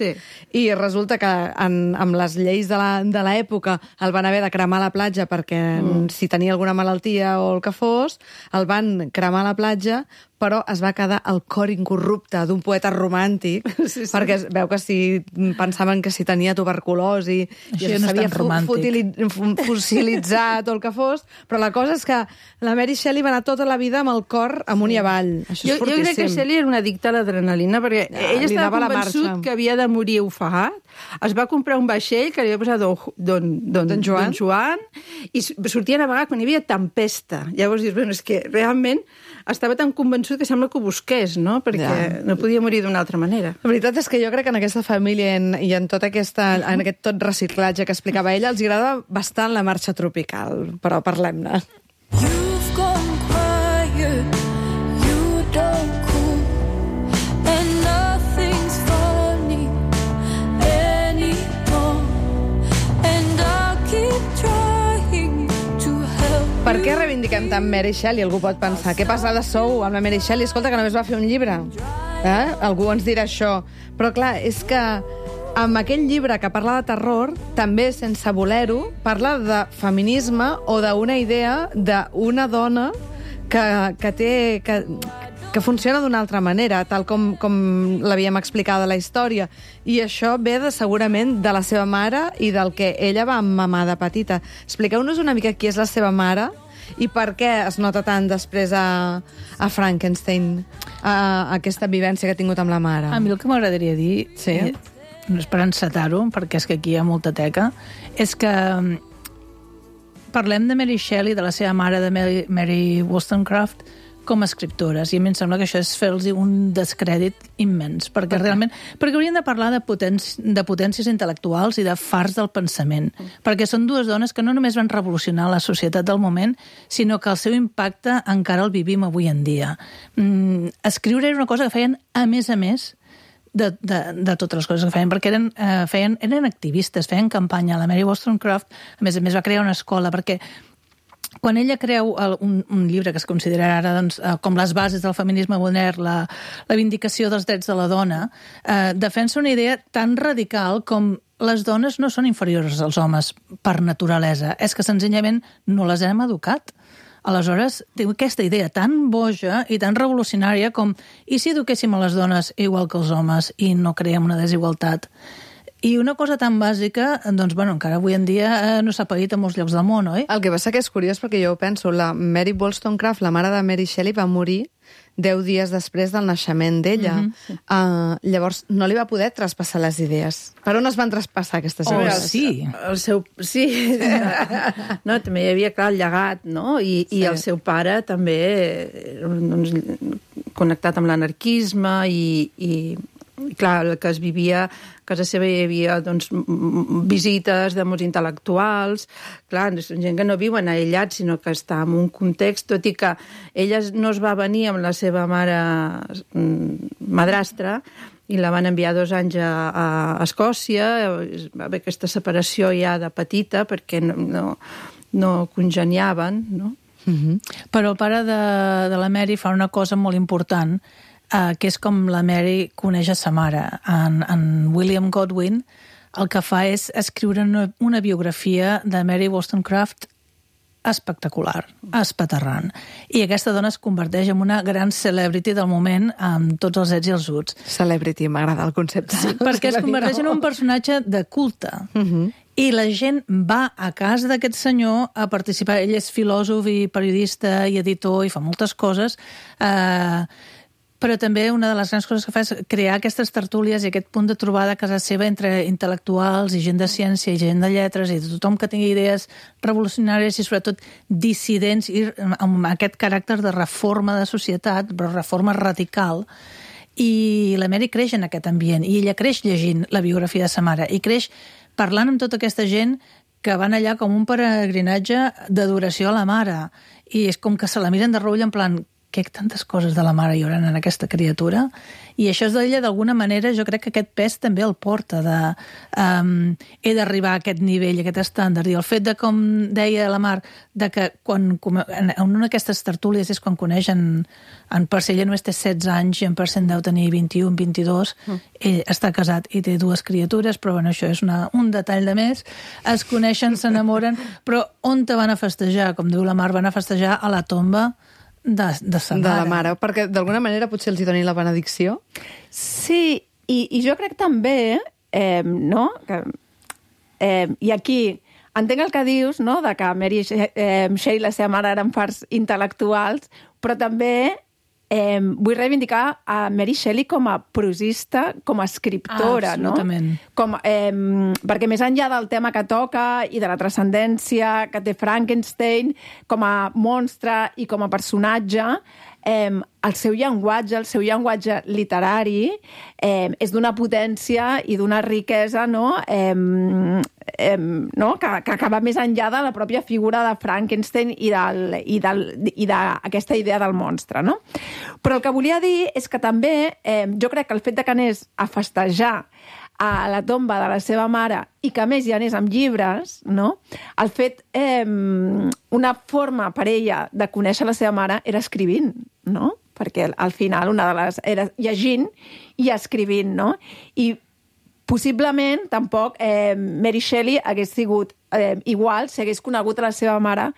i resulta que amb les lleis de l'època el van haver de cremar a la platja perquè si tenia alguna malaltia o el que fos, el van cremar a la platja, però es va quedar el cor incorrupte d'un poeta romàntic, perquè es veu que pensaven que si tenia tuberculosi i s'havia fossilitzat o el que fos, però la cosa és que la Mary Shelley va anar tota la vida amb el cor amunt i avall. Això és fortíssim. Jo crec que Shelley era una addicta a l'adrenalina, perquè ell estava convençut que havia de morir ofegat, es va comprar un vaixell que li havia posat Don Joan, i sortia a navegar quan hi havia tempesta. Llavors dius, bueno, és que realment estava tan convençut que sembla que ho busqués, no? Perquè no podia morir d'una altra manera. La veritat és que jo crec que en aquesta família i en tot aquest tot reciclatge que explicava ella, els agrada bastant la marxa tropical, però parlem-ne. You've gone quiet, you don't cool, and nothing's funny anymore, and I'll keep trying to help. Per què reivindiquem tant Mary Shelley? Algú pot pensar, què passada sou amb la Mary Shelley? Escolta, que només va fer un llibre. Algú ens dirà això. Però clar, és que amb aquell llibre que parla de terror, també, sense voler-ho, parla de feminisme o d'una idea d'una dona que funciona d'una altra manera, tal com l'havíem explicat a la història. I això ve segurament de la seva mare i del que ella va mamar de petita. Expliqueu-nos una mica qui és la seva mare i per què es nota tant després a Frankenstein aquesta vivència que ha tingut amb la mare. A mi el que m'agradaria dir, no és per encetar-ho, perquè és que aquí hi ha molta teca, és que parlem de Mary Shelley, de la seva mare, de Mary Wollstonecraft, com a escriptores, i a mi em sembla que això és fer-los un descrèdit immens, perquè realment haurien de parlar de potències intel·lectuals i de fars del pensament, perquè són dues dones que no només van revolucionar la societat del moment, sinó que el seu impacte encara el vivim avui en dia. Escriure era una cosa que feien a més de totes les coses que feien, perquè eren activistes, feien campanya. La Mary Wollstonecraft, a més va crear una escola, perquè quan ella creu un llibre que es considera ara com les bases del feminisme modern, la vindicació dels drets de la dona, defensa una idea tan radical com les dones no són inferiors als homes per naturalesa, és que senzillament no les hem educat. Aleshores, té aquesta idea tan boja i tan revolucionària com i si eduquéssim a les dones igual que els homes i no creem una desigualtat? I una cosa tan bàsica, doncs, encara avui en dia no s'ha paït a molts llocs del món, oi? El que passa que és curiós, perquè jo penso, la Mary Wollstonecraft, la mare de Mary Shelley, va morir 10 dies després del naixement d'ella. Llavors, no li va poder traspassar les idees. Per on es van traspassar aquestes idees? Sí. No, també hi havia, clar, el llegat, no? I el seu pare també connectat amb l'anarquisme i clar, el que es vivia a casa seva hi havia visites de molts intel·lectuals, clar, gent que no viuen aïllats, sinó que està en un context, tot i que ella no es va venir amb la seva mare madrastra, i la van enviar 2 anys a Escòcia. Va haver aquesta separació ja de petita perquè no congeniaven, no? Però el pare de la Mary fa una cosa molt important, que és com la Mary coneix a sa mare. En William Godwin el que fa és escriure una biografia de Mary Wollstonecraft espectacular, espaterrant. I aquesta dona es converteix en una gran celebrity del moment amb tots els ets i els uts. Celebrity, m'agrada el concepte. Sí, perquè es converteix en un personatge de culte. I la gent va a casa d'aquest senyor a participar. Ell és filòsof i periodista i editor i fa moltes coses, però també una de les grans coses que fa és crear aquestes tertúlies i aquest punt de trobada a casa seva entre intel·lectuals i gent de ciència i gent de lletres i de tothom que tingui idees revolucionàries i sobretot dissidents i amb aquest caràcter de reforma de societat, però reforma radical. I la Mary creix en aquest ambient i ella creix llegint la biografia de sa mare i creix parlant amb tota aquesta gent que van allà com un peregrinatge d'adoració a la mare i és com que se la miren de reull en plan que tantes coses de la mare hi haurà en aquesta criatura, i això és d'ella d'alguna manera, jo crec que aquest pes també el porta he d'arribar a aquest nivell, a aquest estàndard, i el fet de, com deia la Mar, de que en una d'aquestes tertúlies és quan coneixen en Percy, ella només té 16 anys i en Percy deu tenir 21, 22, ell està casat i té 2 criatures, però bueno, això és un detall de més, es coneixen, s'enamoren, però on te van a festejar? Com diu la Mar, van a festejar a la tomba de sa mare. De la mare, perquè d'alguna manera potser els hi donin la benedicció. Sí, i jo crec també, no? I aquí entenc el que dius, no?, de que Mary Shelley i la seva mare eren parts intel·lectuals, però també vull reivindicar a Mary Shelley com a prosista, com a escriptora, absolutament. No? Perquè més enllà del tema que toca i de la transcendència que té Frankenstein com a monstre i com a personatge, el seu llenguatge literari és d'una potència i d'una riquesa, no? Que va més enllà de la pròpia figura de Frankenstein i d'aquesta idea del monstre, no? Però el que volia dir és que també jo crec que el fet de que anés a festejar a la tomba de la seva mare i que a més hi anés amb llibres, no? El fet, una forma per ella de conèixer la seva mare era escrivint, no? Perquè al final una de les era llegint i escrivint, no? I possiblement tampoc Mary Shelley hagués sigut igual si hagués conegut a la seva mare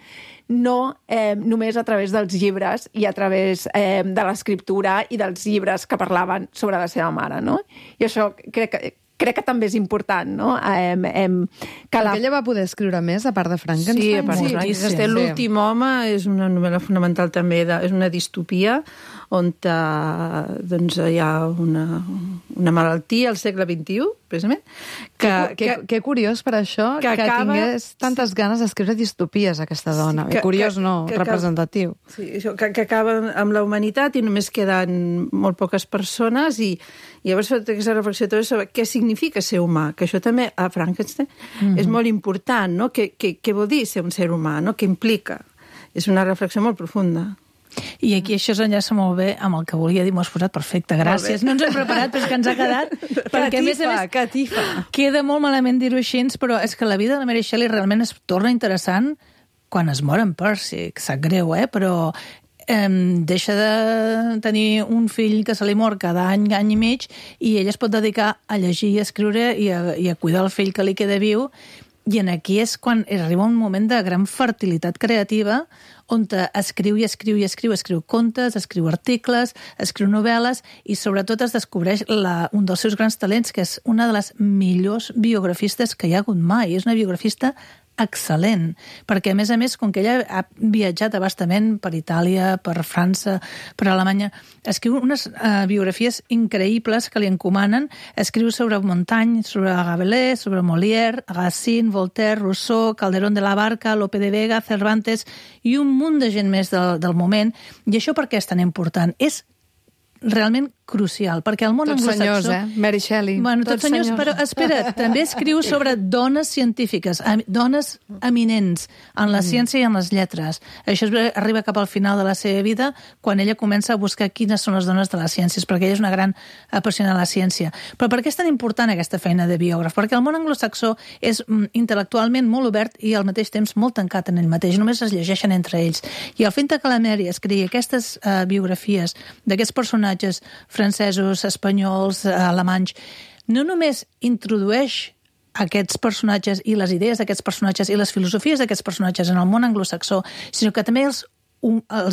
no només a través dels llibres i a través de l'escriptura i dels llibres que parlaven sobre la seva mare, no? I això crec que també és important, no? Perquè ella va poder escriure més, a part de Frankenstein? Sí, a part de Frankenstein. L'últim home és una novel·la fonamental també, és una distopia on doncs, hi ha una malaltia al segle XXI, precisament. Que curiós per això que tingués tantes ganes d'escriure distopies, aquesta dona. Sí, curiós no, representatiu. Sí, això, que acaba amb la humanitat i només queden molt poques persones i llavors fa aquesta reflexió sobre què significa ser humà, que això també a Frankenstein és molt important, no? Què vol dir ser un ser humà, no? Què implica? És una reflexió molt profunda. I aquí això s'enllaça molt bé amb el que volia dir, m'ho has posat perfecte, gràcies. No ens hem preparat, però és que ens ha quedat. Perquè, a més, queda molt malament dir-ho així, però és que la vida de la Mary Shelley realment es torna interessant quan es mor en Percy. Sap greu, però deixa de tenir un fill que se li mor cada any i mig i ella es pot dedicar a llegir i a escriure i a cuidar el fill que li queda viu. I aquí és quan arriba un moment de gran fertilitat creativa on escriu contes, escriu articles, escriu novel·les i sobretot es descobreix un dels seus grans talents, que és una de les millors biografistes que hi ha hagut mai. És una biografista excel·lent, perquè a més, com que ella ha viatjat abastament per Itàlia, per França, per Alemanya, escriu unes biografies increïbles que li encomanen, escriu sobre Montaigne, sobre Rabelais, sobre Molière, Racine, Voltaire, Rousseau, Calderón de la Barca, Lope de Vega, Cervantes i un munt de gent més del moment. I això per què és tan important? És realment crucial, perquè el món Tots anglosaxó... senyors, Mary Shelley. Bueno, tots senyors, però espera, també escriu sobre dones científiques, dones eminents en la ciència i en les lletres. Això arriba cap al final de la seva vida, quan ella comença a buscar quines són les dones de les ciències, perquè ella és una gran apassionada de la ciència. Però per què és tan important aquesta feina de biògraf? Perquè el món anglosaxó és intel·lectualment molt obert i al mateix temps molt tancat en ell mateix, només es llegeixen entre ells. I el fet que la Mary escrigui aquestes biografies d'aquests personatges francesos, espanyols, alemanys, no només introdueix aquests personatges i les idees d'aquests personatges i les filosofies d'aquests personatges en el món anglosaxó, sinó que també els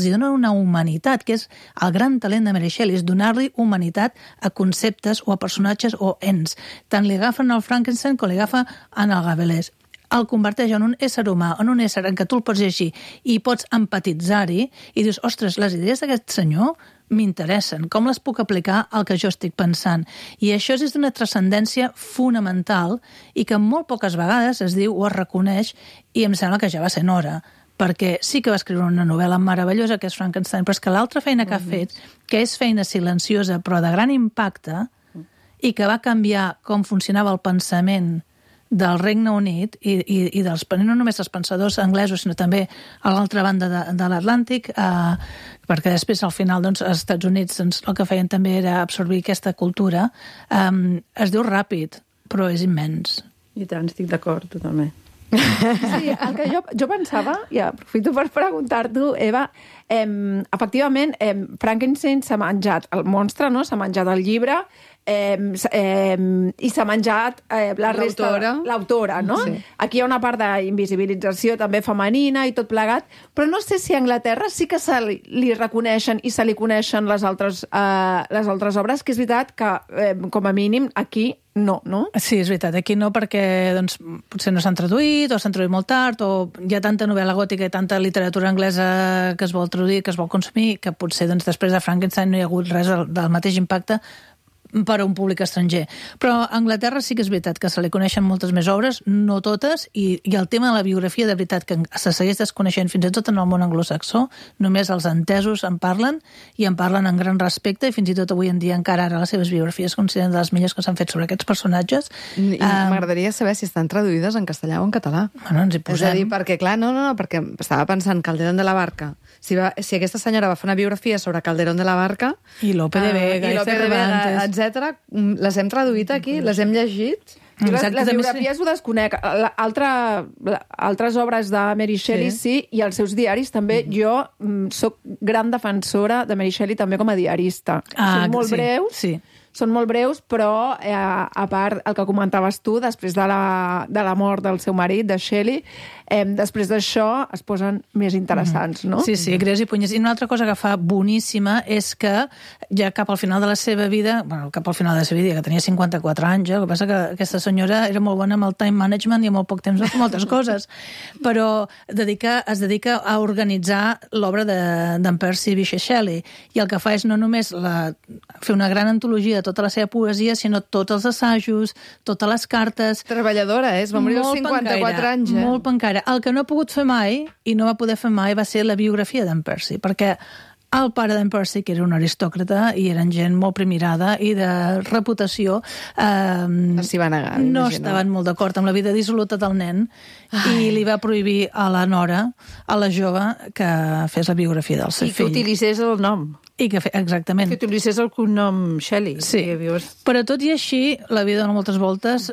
dona una humanitat, que és el gran talent de Mary Shelley, és donar-li humanitat a conceptes o a personatges o ens. Tant li agafen el Frankenstein com li agafa en el Gabelès. El converteix en un ésser humà, en un ésser en què tu el pots llegir i pots empatitzar-hi i dius, ostres, les idees d'aquest senyor m'interessen, com les puc aplicar al que jo estic pensant? I això és d'una transcendència fonamental i que molt poques vegades es diu o es reconeix, i em sembla que ja va ser hora, perquè sí que va escriure una novel·la meravellosa que és Frankenstein, però és que l'altra feina que ha fet, que és feina silenciosa però de gran impacte i que va canviar com funcionava el pensament del Regne Unit i dels, no només dels pensadors anglesos, sinó també a l'altra banda de l'Atlàntic, perquè després, al final, doncs, als Estats Units el que feien també era absorbir aquesta cultura. Es diu ràpid, però és immens. I tant, estic d'acord, totalment. Sí, el que jo pensava, i aprofito per preguntar-t'ho, Eva, efectivament, Frankenstein s'ha menjat el monstre, no? S'ha menjat el llibre, i s'ha menjat la resta, l'autora, no? Sí. Aquí hi ha una part d'invisibilització també femenina i tot plegat, però no sé si a Anglaterra sí que li reconeixen i se li coneixen les altres obres, que és veritat que, com a mínim, aquí no? Sí, és veritat. Aquí no, perquè doncs, potser no s'han traduït, o s'han traduït molt tard, o hi ha tanta novel·la gòtica i tanta literatura anglesa que es vol traduir, que es vol consumir, que potser doncs, després de Frankenstein no hi ha hagut res del mateix impacte per a un públic estranger. Però a Anglaterra sí que és veritat que se li coneixen moltes més obres, no totes, i el tema de la biografia, de veritat, que se segueix desconeixent fins i tot en el món anglosaxó, només els entesos en parlen, i en parlen en gran respecte, i fins i tot avui en dia encara ara les seves biografies consideren de les millors que s'han fet sobre aquests personatges. I m'agradaria saber si estan traduïdes en castellà o en català. Bueno, ens hi posem. És a dir, perquè, clar, no, perquè estava pensant Calderón de la Barca. Si aquesta senyora va fer una biografia sobre Calderón de la Barca... I Lope de Vega, i Lope de Vega, etc. Les hem traduït aquí, les hem llegit. Les biografies ho desconec. Altres obres de Mary Shelley sí, i els seus diaris també. Jo sóc gran defensora de Mary Shelley també com a diarista. Són molt breus. Sí. Són molt breus, però a part el que comentaves tu, després de la mort del seu marit, de Shelley, després d'això es posen més interessants, no? Sí, greus i punyes. I una altra cosa que fa boníssima és que ja cap al final de la seva vida, que tenia 54 anys, el que passa que aquesta senyora era molt bona amb el time management i amb molt poc temps de fer moltes coses, però es dedica a organitzar l'obra d'en Percy Bysshe Shelley, i el que fa és no només fer una gran antologia de tota la seva poesia, sinó tots els assajos, totes les cartes... Treballadora, es va morir als 54 anys. Molt pencaire. El que no ha pogut fer mai, i no va poder fer mai, va ser la biografia d'en Percy, perquè el pare d'en Percy, que era un aristòcrata i eren gent molt primirada i de reputació, s'hi va negar, no estaven molt d'acord amb la vida dissoluta del nen i li va prohibir a la nora, a la jove, que fes la biografia del seu fill. I que utilitzés el nom. Exactament. Que utilitzés el cognom Shelley. Sí, però tot i així, la vida dona moltes voltes.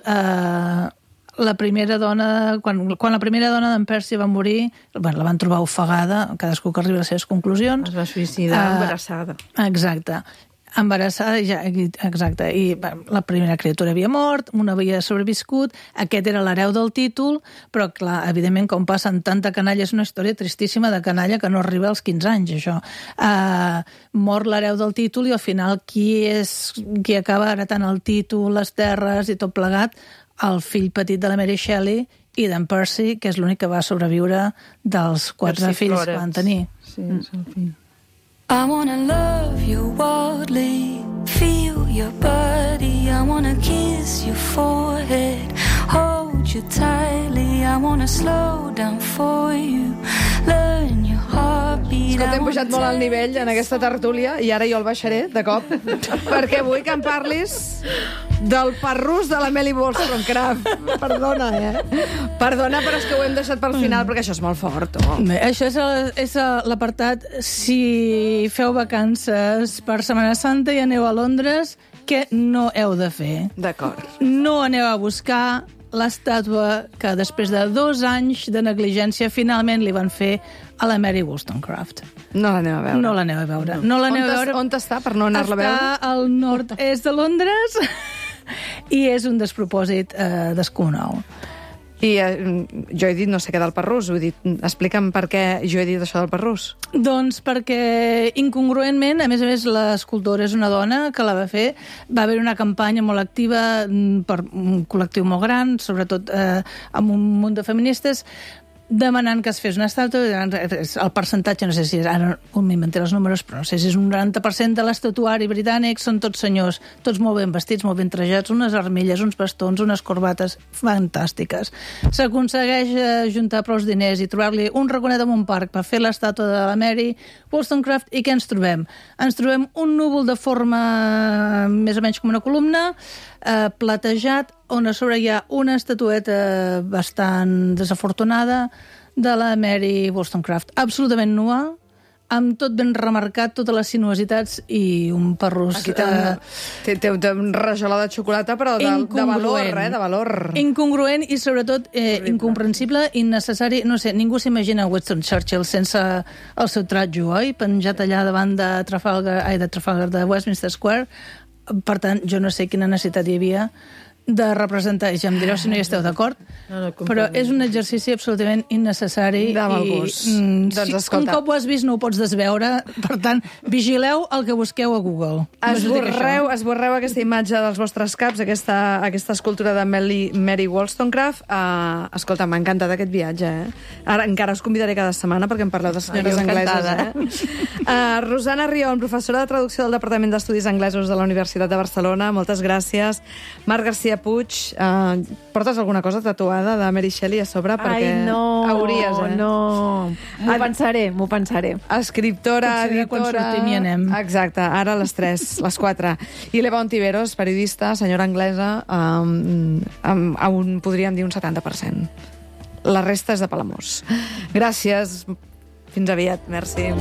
La primera dona, quan la primera dona d'en Percy va morir, la van trobar ofegada, cadascú que arriba a les seves conclusions. Es va suïcidar embarassada. Exacte. Embarassada, exacte. I la primera criatura havia mort, una havia sobreviscut, aquest era l'hereu del títol, però, clar, evidentment, com passa en tanta canalla, és una història tristíssima de canalla que no arriba als 15 anys, això. Mor l'hereu del títol i, al final, qui acaba heretant el títol, les terres i tot plegat? El fill petit de la Mary Shelley i d'en Percy, que és l'únic que va sobreviure dels 4 fills que van tenir. Sí, és el fill. I wanna love you wildly, feel your body, I wanna kiss your forehead, hold you tightly, I wanna slow down for you, learn your heartbeat, Escolta, hem pujat molt al nivell en aquesta tertúlia i ara jo el baixaré, de cop, perquè vull que em parlis del parrús de la Melly Wollstonecraft. Perdona, Perdona, però és que ho hem deixat pel final, perquè això és molt fort. Bé, això és l'apartat si feu vacances per Setmana Santa i aneu a Londres, què no heu de fer. D'acord. No aneu a buscar l'estàtua que després de 2 anys de negligència finalment li van fer a la Mary Wollstonecraft. No l'aneu a veure. No l'aneu a veure. No l'aneu a veure. On està, per no anar-la a veure? Està al nord-est de Londres i és un despropòsit descomunal. I jo he dit no sé què del parrús, vull dir, explica'm per què jo he dit això del parrús. Doncs perquè, incongruentment, a més, l'escultora és una dona que la va fer, va haver una campanya molt activa per un col·lectiu molt gran, sobretot amb un munt de feministes, demanant que es fes una estàtua. El percentatge, no sé si és, ara m'inventé els números, però no sé si és un 90% de l'estatuari britànic, són tots senyors, tots molt ben vestits, molt ben trajats, unes armilles, uns bastons, unes corbates fantàstiques. S'aconsegueix juntar prou diners i trobar-li un raconet en un parc per fer l'estàtua de la Mary Wollstonecraft, i què ens trobem? Ens trobem un núvol de forma més o menys com una columna, platejat, on a sobre hi ha una estatueta bastant desafortunada de la Mary Wollstonecraft, absolutament nua, amb tot ben remarcat, totes les sinuositats i un parrús... Aquí té un rajola de xocolata, però de valor, de valor. Incongruent i, sobretot, incomprensible, innecessari. No sé, ningú s'imagina Winston Churchill sense el seu tratjo, oi? Penjat allà davant de de Westminster Square. Per tant, jo no sé quina necessitat hi havia de representar, ja em direu si no hi esteu d'acord, però és un exercici absolutament innecessari. De mal gust. Doncs escolta, un cop ho has vist no ho pots desveure, per tant, vigileu el que busqueu a Google. Esborreu aquesta imatge dels vostres caps, aquesta escultura de Mary Wollstonecraft. Escolta, m'ha encantat aquest viatge, Ara encara us convidaré cada setmana perquè em parleu de senyores angleses, Rosana Rion, professora de traducció del Departament d'Estudis Anglesos de la Universitat de Barcelona, moltes gràcies. Marc García Puig, portes alguna cosa tatuada de Mary Shelley a sobre? Perquè hauries, no. M'ho pensaré. Escriptora, editora... Quan sortim hi anem. Exacte, ara les 3, les 4. I l'Eva Ontiveros, periodista, senyora anglesa, on podríem dir un 70%. La resta és de Palamós. Gràcies. Fins aviat. Merci.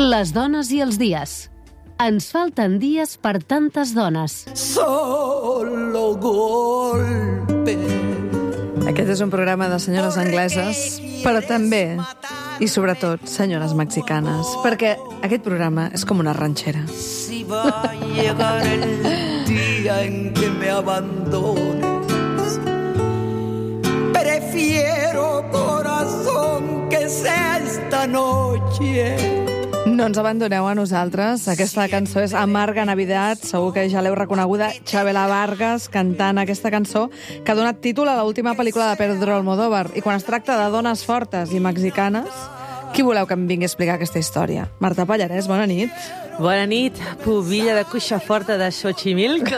Les dones i els dies. Ens falten dies per tantes dones. Solo golpe. Aquest és un programa de senyores angleses, però també, i sobretot, senyores mexicanes, perquè aquest programa és com una ranxera. Si va a llegar el día en que me abandones, prefiero, corazón, que sea esta noche. No ens abandoneu a nosaltres. Aquesta cançó és Amarga Navidad. Segur que ja l'heu reconeguda. Chabela Vargas cantant aquesta cançó que ha donat títol a l'última pel·lícula de Pedro Almodóvar. I quan es tracta de dones fortes i mexicanes, qui voleu que em vingui a explicar aquesta història? Marta Pallarès, bona nit. Bona nit, pubilla de cuixa forta de Xochimilco.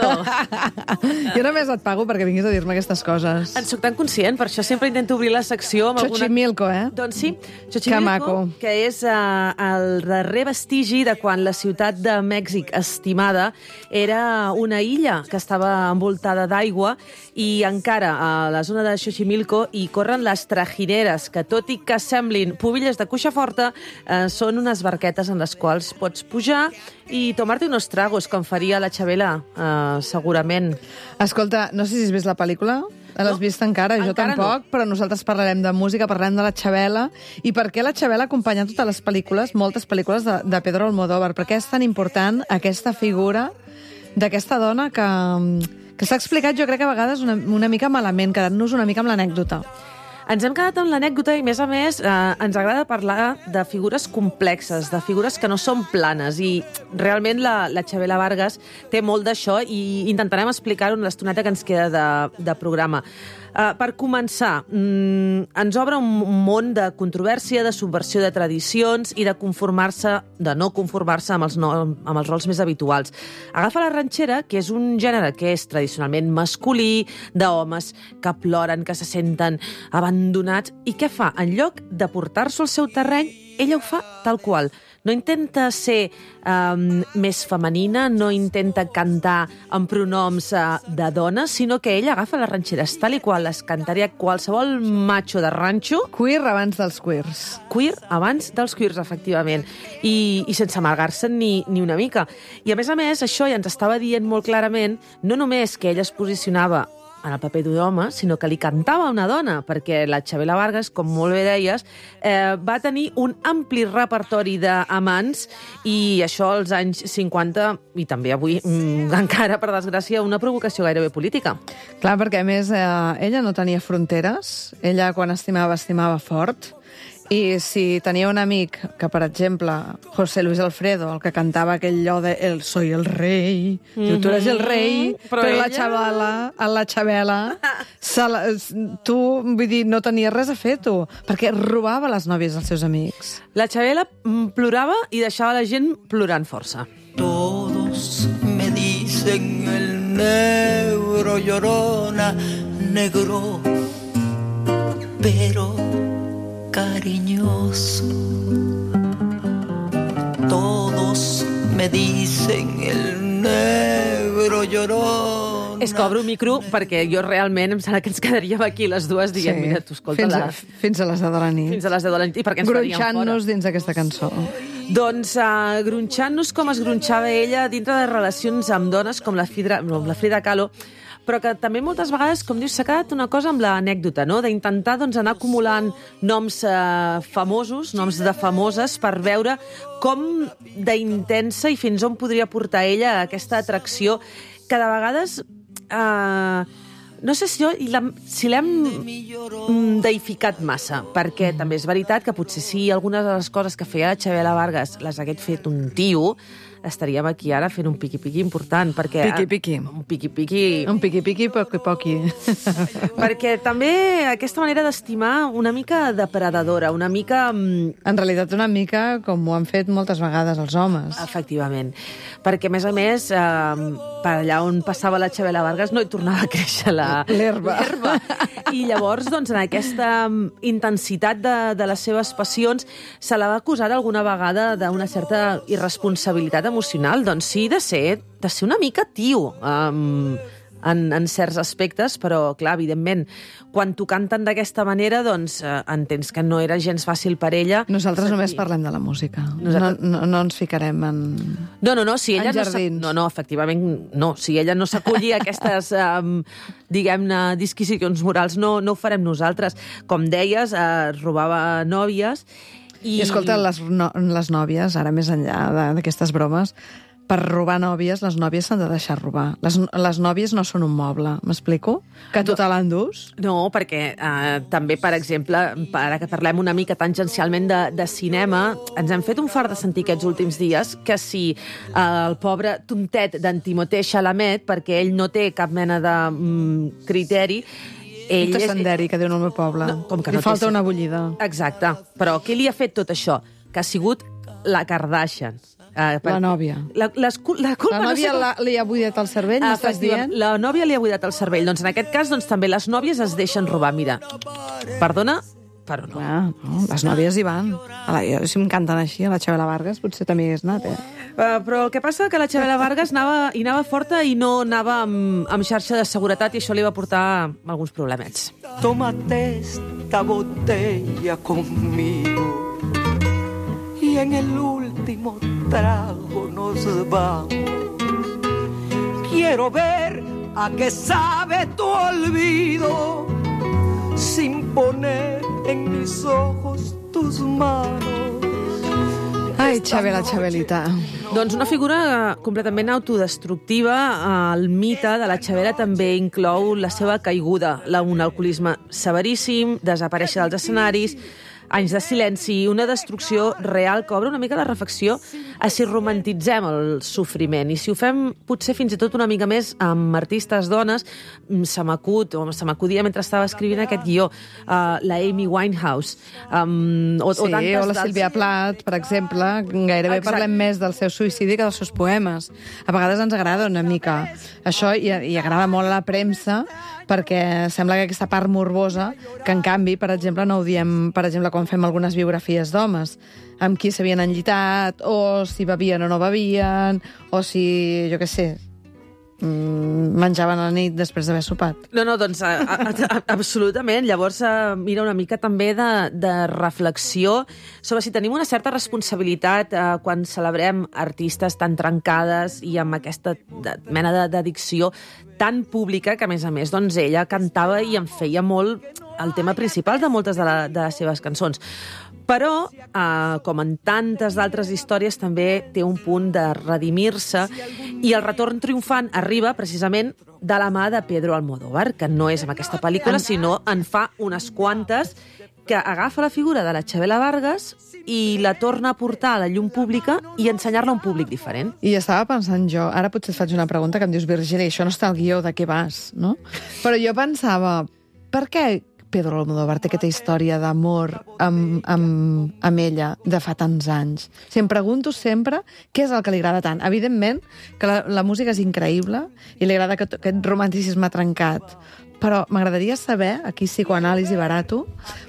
Jo només et pago perquè vinguis a dir-me aquestes coses. En soc tan conscient, per això sempre intento obrir la secció amb Xochimilco, Doncs sí, Xochimilco, que és el darrer vestigi de quan la ciutat de Mèxic estimada era una illa que estava envoltada d'aigua i encara a la zona de Xochimilco hi corren les trajineres, que tot i que semblin pubilles de cuixa forta, són unes barquetes en les quals pots pujar i tomar-te unos tragos, com faria la Chabela, segurament. Escolta, no sé si has vist la pel·lícula. L'has vist encara? Jo tampoc, però nosaltres parlarem de música, parlarem de la Chabela, i per què la Chabela acompanya totes les pel·lícules, moltes pel·lícules de Pedro Almodóvar. Per què és tan important aquesta figura d'aquesta dona que s'ha explicat, jo crec que a vegades una mica malament, quedant-nos una mica amb l'anècdota. Ens hem quedat amb l'anècdota i, a més, ens agrada parlar de figures complexes, de figures que no són planes, i realment la Chabela Vargas té molt d'això i intentarem explicar-ho en l'estoneta que ens queda de programa. Per començar, ens obre un món de controvèrsia, de subversió de tradicions i de no conformar-se amb els rols més habituals. Agafa la ranxera, que és un gènere que és tradicionalment masculí, d'homes que ploren, que se senten abandonats, i què fa? En lloc de portar-s'ho al seu terreny, ella ho fa tal qual. No intenta ser més femenina, no intenta cantar amb pronoms de dona, sinó que ella agafa les ranxeres tal i qual les cantaria qualsevol macho de ranxo. Queer abans dels queers. Queer abans dels queers, efectivament. I sense amargar-se'n ni una mica. I a més, això ja ens estava dient molt clarament, no només que ella es posicionava en el paper d'un home, sinó que li cantava a una dona, perquè la Chabela Vargas, com molt bé deies, va tenir un ampli repertori d'amants, i això als anys 50, i també avui, encara, per desgràcia, una provocació gairebé política. Clar, perquè a més ella no tenia fronteres, ella quan estimava fort, i si tenia un amic que, per exemple, José Luis Alfredo, el que cantava aquell allò de el soy el rei, diu, tu eres el rei, però la Chabela, tu, vull dir, no tenies res a fer, tu, perquè robava les nòvies dels seus amics. La Chabela plorava i deixava la gent plorant força. Todos me dicen el negro llorona, negro, pero cariñoso. Todos me dicen el negro llorón. És que obro un micro perquè jo realment em sembla que ens quedaríem aquí les dues dient, mira, tu escolta-la. Fins a les 10 de la nit. Fins a les 10 de la nit. I perquè ens faríem fora. Gronxant-nos dins d'aquesta cançó. Doncs gronxant-nos com es gronxava ella dintre de relacions amb dones com la Frida Kahlo, però que també moltes vegades, com dius, s'ha quedat una cosa amb l'anècdota, no? D'intentar anar acumulant noms famosos, noms de famoses, per veure com d'intensa i fins on podria portar ella aquesta atracció que de vegades... no sé si l'hem deificat massa, perquè també és veritat que potser si algunes de les coses que feia la Chabela Vargas les hagués fet un tio, estaríem aquí ara fent un piqui-piqui important, perquè... Piqui-piqui. Un piqui-piqui. Un piqui-piqui, poqui-poqui. Perquè també aquesta manera d'estimar una mica depredadora, una mica... En realitat una mica com ho han fet moltes vegades els homes. Efectivament. Perquè, a més, per allà on passava la Chabela Vargas no hi tornava a créixer l'herba. I llavors, doncs, en aquesta intensitat de les seves passions, se la va acusar alguna vegada d'una certa irresponsabilitat emocional. Doncs sí, de ser una mica tio en certs aspectes, però, clar, evidentment, quan t'ho canten d'aquesta manera, doncs entens que no era gens fàcil per ella. Nosaltres només parlem de la música. No ens ficarem en si ella jardins. No, efectivament, no. Si ella no s'acolli a aquestes, diguem-ne, disquisicions morals, no ho farem nosaltres. Com deies, robava nòvies. I escolta, les nòvies, ara més enllà d'aquestes bromes, per robar nòvies, les nòvies s'han de deixar robar. Les nòvies no són un moble, m'explico? Que tu te l'endús? No, perquè també, per exemple, ara que parlem una mica tangencialment de cinema, ens hem fet un fart de sentir aquests últims dies que si el pobre tontet d'en Timothée Chalamet, perquè ell no té cap mena de criteri, un tassanderi, que diu el meu poble. Li falta una bullida. Exacte. Però què li ha fet tot això? Que ha sigut la Kardashian. La nòvia. La nòvia li ha buidat el cervell, m'estàs dient? La nòvia li ha buidat el cervell. Doncs en aquest cas, també les nòvies es deixen robar. Mira, perdona, però no. No, les nòvies hi van. Si em canten així, a la Chabela Vargas, potser també hi hagués anat, Però el que passa que la Chabela Vargas anava forta i no anava amb xarxa de seguretat, i això li va portar alguns problemets. Tómate esta botella conmigo y en el último trago nos vamos. Quiero ver a qué sabe tu olvido sin poner en mis ojos tus manos. Ai, Chabela, Chabelita. Doncs una figura completament autodestructiva. El mite de la Chabela també inclou la seva caiguda, un alcoholisme severíssim, desaparèixer dels escenaris, anys de silenci, una destrucció real que obre una mica la reflexió a si romantitzem el sofriment. I si ho fem potser fins i tot una mica més amb artistes dones, se m'acudia mentre estava escrivint aquest guió, la Amy Winehouse. O la Sílvia Plath, per exemple, gairebé parlem més del seu suïcidi que dels seus poemes. A vegades ens agrada una mica això i agrada molt a la premsa, perquè sembla que aquesta part morbosa, que en canvi, per exemple, no ho diem, per exemple, quan fem algunes biografies d'homes, amb qui s'havien enllitat, o si bevien o no bevien, o si, jo què sé, menjaven a la nit després d'haver sopat. No, doncs absolutament. Llavors mira una mica també de reflexió sobre si tenim una certa responsabilitat quan celebrem artistes tan trencades i amb aquesta mena d'addicció tan pública que, a més, doncs ella cantava i en feia molt el tema principal de moltes de les seves cançons. Però, com en tantes d'altres històries, també té un punt de redimir-se i el retorn triomfant arriba precisament de la mà de Pedro Almodóvar, que no és amb aquesta pel·lícula, sinó en fa unes quantes, que agafa la figura de la Chabela Vargas i la torna a portar a la llum pública i ensenyar-la a un públic diferent. I estava pensant jo, ara potser et faig una pregunta que em dius, Virgili, això no està al guió, de què vas, no? Però jo pensava, per què Pedro Almodóvar té aquesta història d'amor amb ella de fa tants anys? Si em pregunto sempre què és el que li agrada tant. Evidentment que la música és increïble i li agrada aquest romanticisme trencat, però m'agradaria saber, aquí psicoanàlisi barato,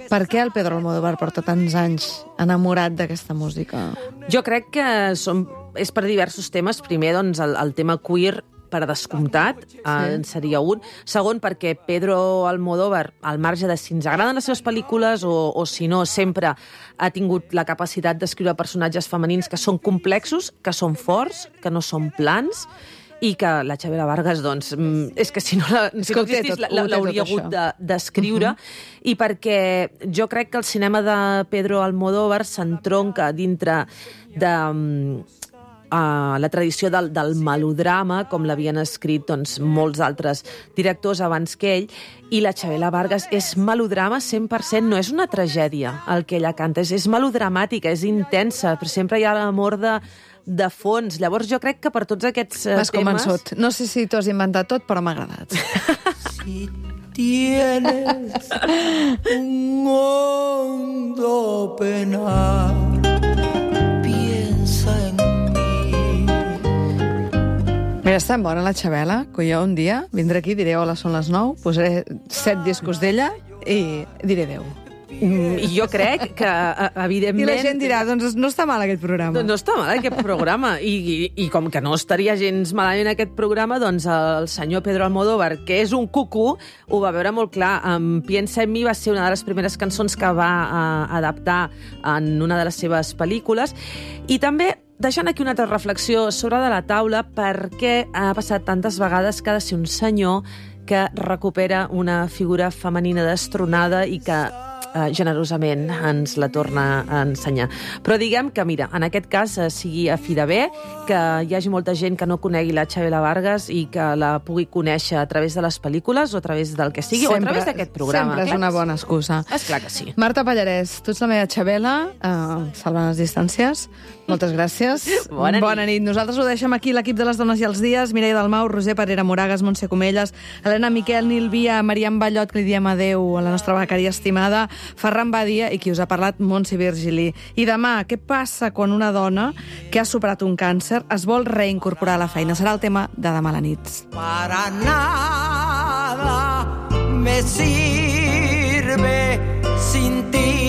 per què el Pedro Almodóvar porta tants anys enamorat d'aquesta música. Jo crec que és per diversos temes. Primer, doncs, el tema queer, per descomptat, en seria un. Segon, perquè Pedro Almodóvar, al marge de si ens agraden les seves pel·lícules o si no, sempre ha tingut la capacitat d'escriure personatges femenins que són complexos, que són forts, que no són plans, i que la Chabela Vargas, doncs, és que si no existís, l'hauria hagut d'escriure, i perquè jo crec que el cinema de Pedro Almodóvar s'entronca dintre de la tradició del melodrama, com l'havien escrit doncs, molts altres directors abans que ell, i la Chabela Vargas és melodrama 100%, no és una tragèdia el que ella canta, és melodramàtica, és intensa, però sempre hi ha l'amor de fons. Llavors jo crec que per tots aquests temes... M'has convençut. No sé si t'ho has inventat tot, però m'ha agradat. Si tienes un hondo penar, piensa en Mira, és tan bona la Chabela, que jo un dia vindré aquí, diré hola, són les 9, posaré 7 discos d'ella i diré adéu. I jo crec que, evidentment... I la gent dirà, doncs no està mal aquest programa. No està mal aquest programa. I com que no estaria gens malament aquest programa, doncs el senyor Pedro Almodóvar, que és un cucú, ho va veure molt clar. Piensa en mi va ser una de les primeres cançons que va adaptar en una de les seves pel·lícules. I també deixant aquí una altra reflexió sobre de la taula, per què ha passat tantes vegades que ha de ser un senyor que recupera una figura femenina destronada i que generosament ens la torna a ensenyar. Però diguem que, mira, en aquest cas sigui a fi de bé, que hi hagi molta gent que no conegui la Chabela Vargas i que la pugui conèixer a través de les pel·lícules o a través del que sigui, o a través d'aquest programa. Sempre és una bona excusa. Esclar que sí. Marta Pallarès, tu ets la meva Chabela, salvant les distàncies. Moltes gràcies. Bona nit. Nosaltres ho deixem aquí, l'equip de les Dones i els Dies, Mireia Dalmau, Roser Parera Moragas, Montse Comelles, Helena Miquel, Nil Via, Mariam Ballot, que li diem adéu a la nostra becària estimada, Ferran Badia i qui us ha parlat, Montse Virgili. I demà, què passa quan una dona que ha superat un càncer es vol reincorporar a la feina? Serà el tema de demà a la nit. Para nada me sirve sin ti.